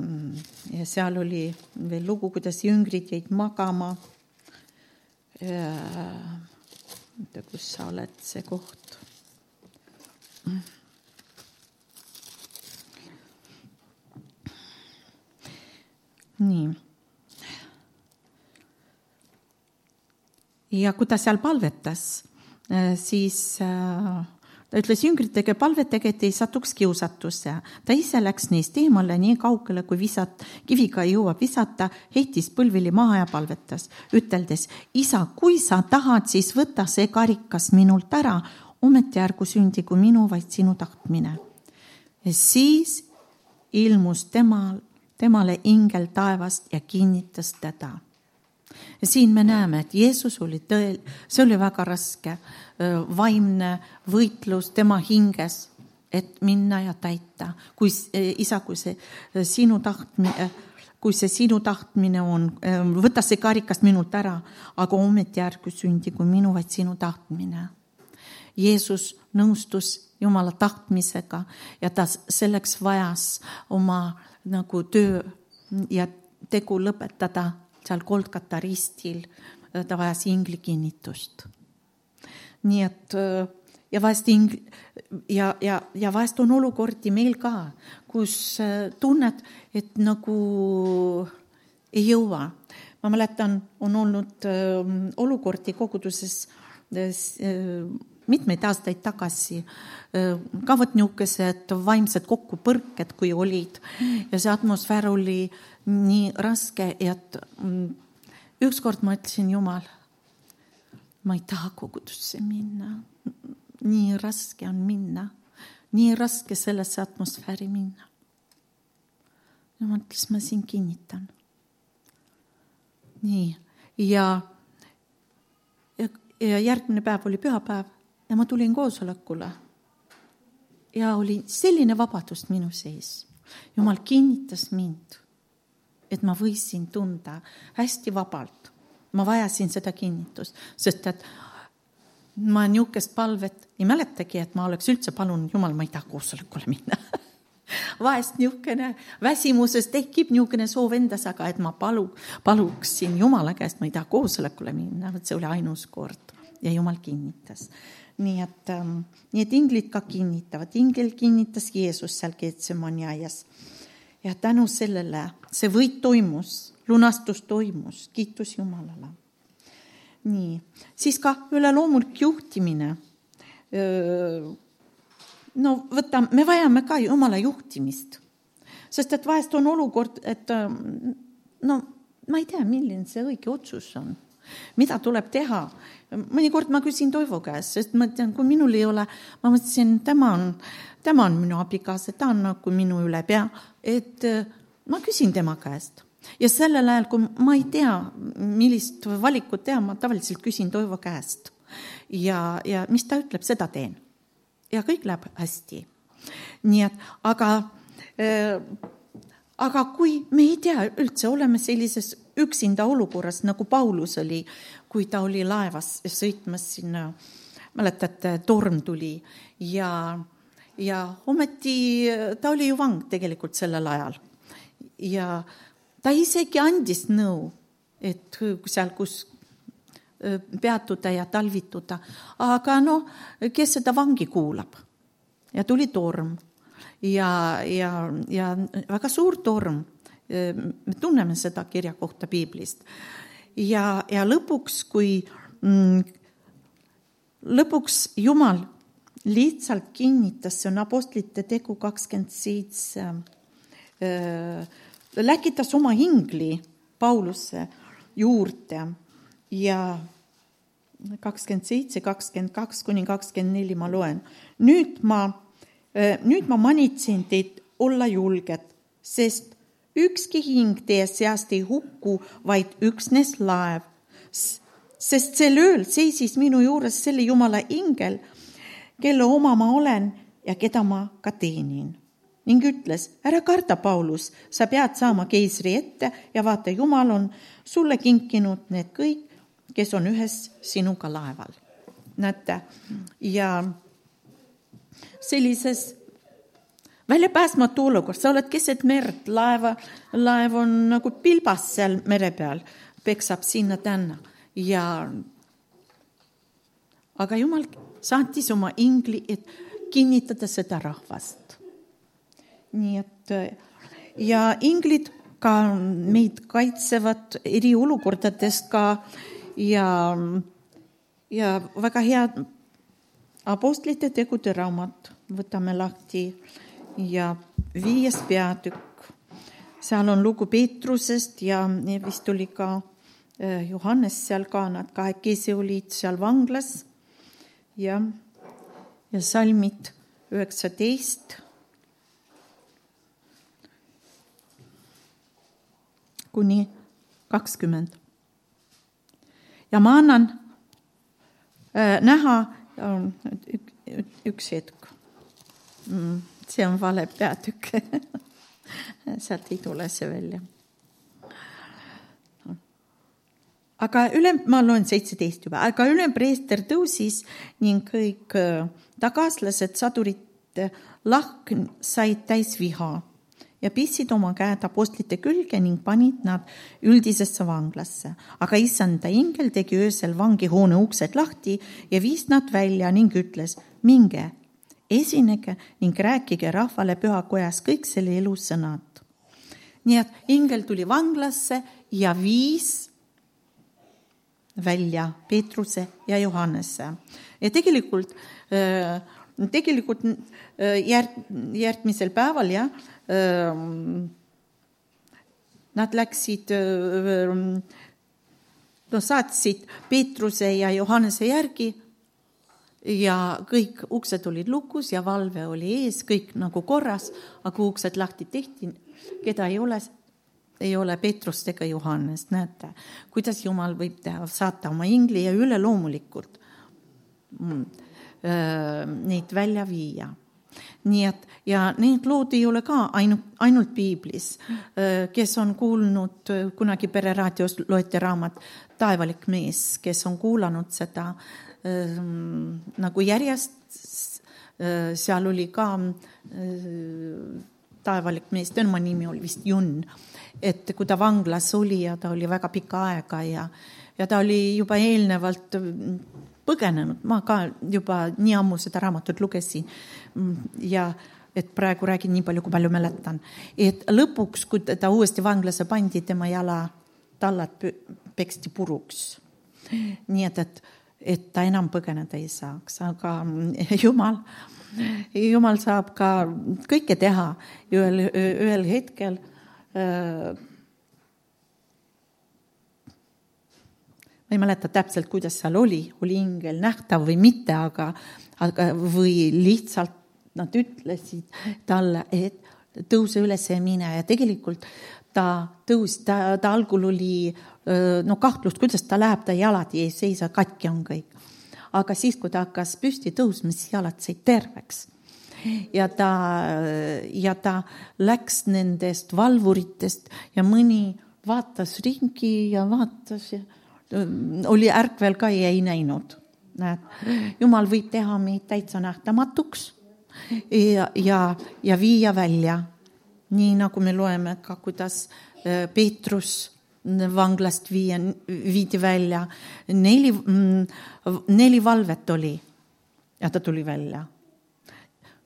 seal oli veel lugu, kuidas jüngrid jäid magama kus sa oled, see koht. Nii. Ja kui ta seal palvetas, siis ta ütles jüngritega palvetega, et ei satuks kiusatusse. Ta ise läks neist eemale nii kaugele, kui kiviga jõuab visata, heitis põlvili maha ja palvetas, üteldes, isa, kui sa tahad, siis võta see karikas minult ära, ometi ärgu sündigu minu, vaid sinu tahtmine. Ja siis ilmus temale ingel taevast ja kinnitas teda. Ja siin me näeme, et Jeesus oli see oli väga raske vaimne võitlus tema hinges, et minna ja täita. Kui see sinu tahtmine on, võta see karikas minult ära, aga ometi ärgu sündigu minu, vaid sinu tahtmine. Jeesus nõustus Jumala tahtmisega ja ta selleks vajas oma nagu töö ja tegu lõpetada seal Golgata ristil, ta vajas ingli kinnitust. Nii et ja vahest on olukordi meil ka, kus tunned, et nagu ei jõua. Ma mäletan, on olnud olukordi koguduses mitmeid aastaid tagasi, ka võt niisugused vaimsed kokkupõrked, kui olid. Ja see atmosfäär oli nii raske, et ükskord ma ütlesin, Jumal, ma ei taha kogudusse minna. Nii raske on minna. Nii raske sellesse atmosfääri minna. Ja ma ütles, ma siin kinnitan. Nii. Ja järgmine päev oli pühapäev ja ma tulin koosolekule. Ja oli selline vabadus minu sees. Jumal kinnitas mind, et ma võisin tunda hästi vabalt. Ma vajasin seda kinnitust, sest et ma niisugust palvet ei mäletagi, et ma oleks üldse palunud, Jumal, ma ei taha koosolekule minna. Vahest niisugune väsimuses tekib niisugune soov endas, aga et ma paluksin Jumala käest, ma ei taha koosolekule minna, see oli ainus kord ja Jumal kinnitas. Nii et inglid ka kinnitavad. Ingel kinnitas Jeesus seal Getsemani aias. Ja tänu sellele see võit toimus, lunastus toimus, kiitus Jumalale. Nii, siis ka üleloomulik juhtimine. No võta, me vajame ka Jumala juhtimist. Sest et vahest on olukord, et ma ei tea, milline see õige otsus on. Mida tuleb teha? Mõnikord ma küsin Toivo käest, sest ma tean, kui minul ei ole, ma mõtlesin, tema on minu abikaasa, ta on nagu minu üle pea, et ma küsin tema käest. Ja sellel ajal, kui ma ei tea, millist valikut teha, ma tavaliselt küsin Toivo käest. Ja mis ta ütleb, seda teen. Ja kõik läheb hästi. Nii et, aga kui me ei tea üldse, oleme sellises üksinda olukorras, nagu Paulus oli, kui ta oli laevas sõitmas sinna, mäletate, torm tuli ja ometi ta oli ju vang tegelikult sellel ajal. Ja ta isegi andis nõu, et seal kus peatuda ja talvituda, aga kes seda vangi kuulab? Ja tuli torm ja väga suur torm. Me tunneme seda kirja kohta Piiblist. Ja lõpuks, lõpuks Jumal lihtsalt kinnitas, see on Apostlite tegu 27, läkitas oma ingli Pauluse juurde ja 27, 22 kuni 24 ma loen. Nüüd ma manitsin teid olla julged, sest ükski hing teie seast ei hukku, vaid üksnes laev. Sest sel ööl seisis minu juures selle Jumala ingel, kelle oma ma olen ja keda ma ka teenin. Ning ütles, ära karda, Paulus, sa pead saama keisri ette ja vaata, Jumal on sulle kinkinud need kõik, kes on ühes sinuga laeval. Näete, ja sellises väljapääsmatu olukord, sa oled keset merd, laev on nagu pilbas seal mere peal, peksab sinna tänna aga Jumal saatis oma ingli, et kinnitada seda rahvast. Nii et ja inglid ka meid kaitsevad eri olukordadest ka ja väga head Apostlite tegude raamat võtame lahti ja 5. peatükk. Seal on lugu Peetrusest ja vist oli ka Johannes seal ka, nad kahekesi olid seal vanglas ja salmid 19 kuni 20. Ja ma annan näha üks hetk. See on vale peatükk. Sealt ei tule see välja. Ma loen 17 juba. Aga ülempreester tõusis ning kõik tagaaslased sadurite lahk said täis viha ja pissid oma käed apostlite külge ning panid nad üldisesse vanglasse. Aga issanda ingel tegi öösel vangihoone uksed lahti ja viis nad välja ning ütles, minge, esinege ning rääkige rahvale pühakojas kõik selle elu sõnad. Nii et ingel tuli vanglasse ja viis välja Peetruse ja Johannese. Ja tegelikult järgmisel päeval nad läksid, saatsid Peetruse ja Johannese järgi ja kõik uksed olid lukus ja valve oli ees, kõik nagu korras, aga uksed lahti tehti, keda ei ole Peetrust ega Johannes. Näete, kuidas Jumal võib teha, saata oma ingli ja üleloomulikult neid välja viia. Nii et, ja need lood ei ole ka ainult piiblis. Kes on kuulnud, kunagi Pereraadios loeti raamat Taevalik mees, kes on kuulanud seda nagu järjest, seal oli ka Taevalik mees, tema nimi oli vist Junn, et kui ta vanglas oli ja ta oli väga pika aega ja ta oli juba eelnevalt põgenenud, ma ka juba nii ammu seda raamatut lugesin ja et praegu räägin nii palju, kui palju mäletan. Et lõpuks, kui ta uuesti vanglasse pandi, tema jala tallad peksti puruks. Nii et ta enam põgeneda ei saaks, aga Jumal saab ka kõike teha ühel hetkel. Ma ei mäleta täpselt, kuidas seal oli ingel nähtav või mitte, aga või lihtsalt nad ütlesid talle, et tõuse üles ja mine ja tegelikult ta tõusis, ta algul oli kahtlust, kuidas ta läheb, ta jalad ei seisa, katki on kõik. Aga siis, kui ta hakkas püsti tõusma, siis jalad said terveks. Ja ta läks nendest valvuritest ja mõni vaatas ringi ja vaatas ja oli ärkvel ka ja ei näinud. Jumal võib teha meid täitsa nähtamatuks ja viia välja. Nii nagu me loeme ka, kuidas Peetrus vanglast viidi välja. 4 valvet oli ja ta tuli välja.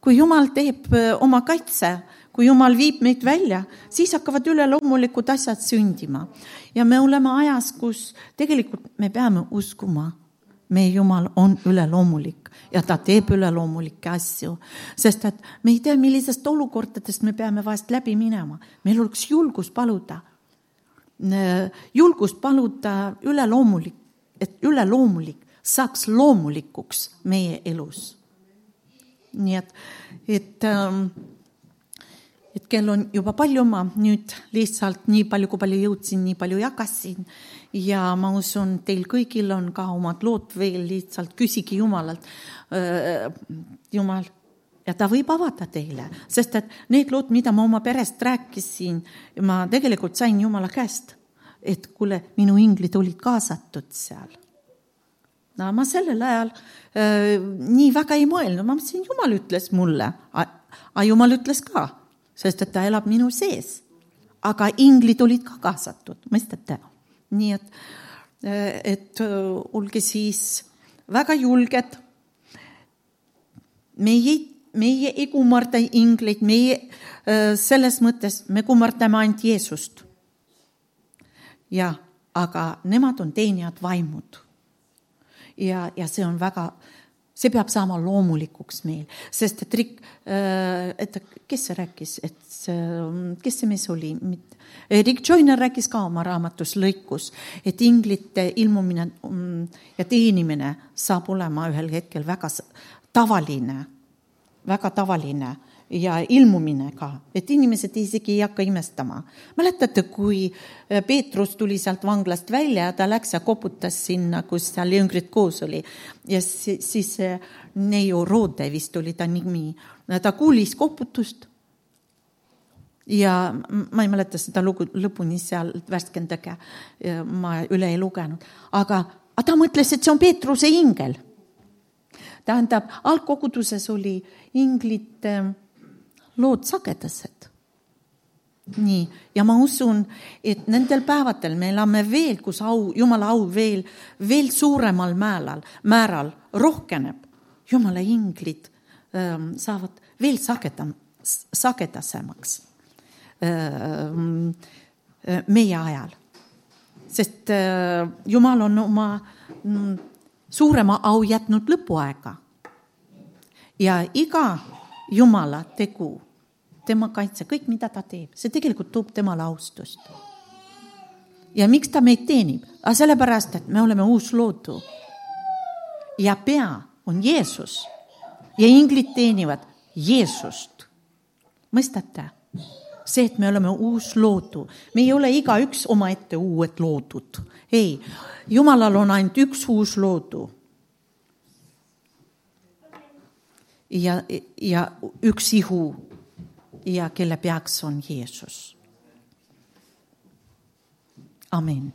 Kui Jumal teeb oma kaitse, kui Jumal viib meid välja, siis hakkavad üleloomulikud asjad sündima. Ja me oleme ajas, kus tegelikult me peame uskuma. Meie Jumal on üleloomulik ja ta teeb üleloomulikke asju. Sest et me ei tea, millisest olukordadest me peame vahest läbi minema. Meil oleks julgus paluda üleloomulik, et üleloomulik saaks loomulikuks meie elus. Nii et kell on juba palju, ma nüüd lihtsalt nii palju, kui palju jõudsin, nii palju jagasin ja ma usun, teil kõigil on ka omad lood veel, lihtsalt küsigi Jumalalt. Jumal, ja ta võib avada teile, sest et need lood, mida ma oma perest rääkisin, ma tegelikult sain Jumala käest, et kuule, minu inglid olid kaasatud seal. No, ma sellel ajal nii väga ei mõelnud, ma mõtlesin, Jumal ütles mulle, aga Jumal ütles ka, sest et ta elab minu sees. Aga inglid olid ka kaasatud, mõistate? Nii et olge siis väga julged. Meie ei kummarda ingleid, meie selles mõttes me kummardame ainult Jeesust. Ja, aga nemad on teenijad vaimud. Ja see on väga, see peab saama loomulikuks meil, sest et kes see rääkis, kes see mees oli? Rick Joyner rääkis ka oma raamatus lõikus, et inglite ilmumine ja teenimine saab olema ühel hetkel väga tavaline ja ilmumine ka, et inimesed isegi ei hakka imestama. Mäletate, kui Peetrus tuli sealt vanglast välja ja ta läks ja koputas sinna, kus seal jüngrid koos oli. Ja siis Neiu Roode vist oli ta nimi. Ta kuulis koputust ja ma ei mäleta seda lugu lõpuni seal värskendage, ma üle ei lugenud. Aga ta mõtles, et see on Peetruse ingel. Tähendab, algkoguduses oli inglite lood sagedased. Nii, ja ma usun, et nendel päevatel me elame veel, kus Jumala au veel suuremal määral rohkeneb. Jumala inglid saavad veel sagedasemaks meie ajal. Sest Jumal on oma suurema au jätnud lõpuaega. Ja iga Jumala tegu, tema kaitse, kõik mida ta teeb, see tegelikult toob temale austust. Ja miks ta meid teenib? Sellepärast, et me oleme uus loodu. Ja pea on Jeesus. Ja inglid teenivad Jeesust. Mõistate? See, et me oleme uus loodu. Me ei ole iga üks oma ette uued loodud. Ei, Jumalal on ainult üks uus loodu. Ja üks ihu ja kelle peaks on Jeesus. Amen.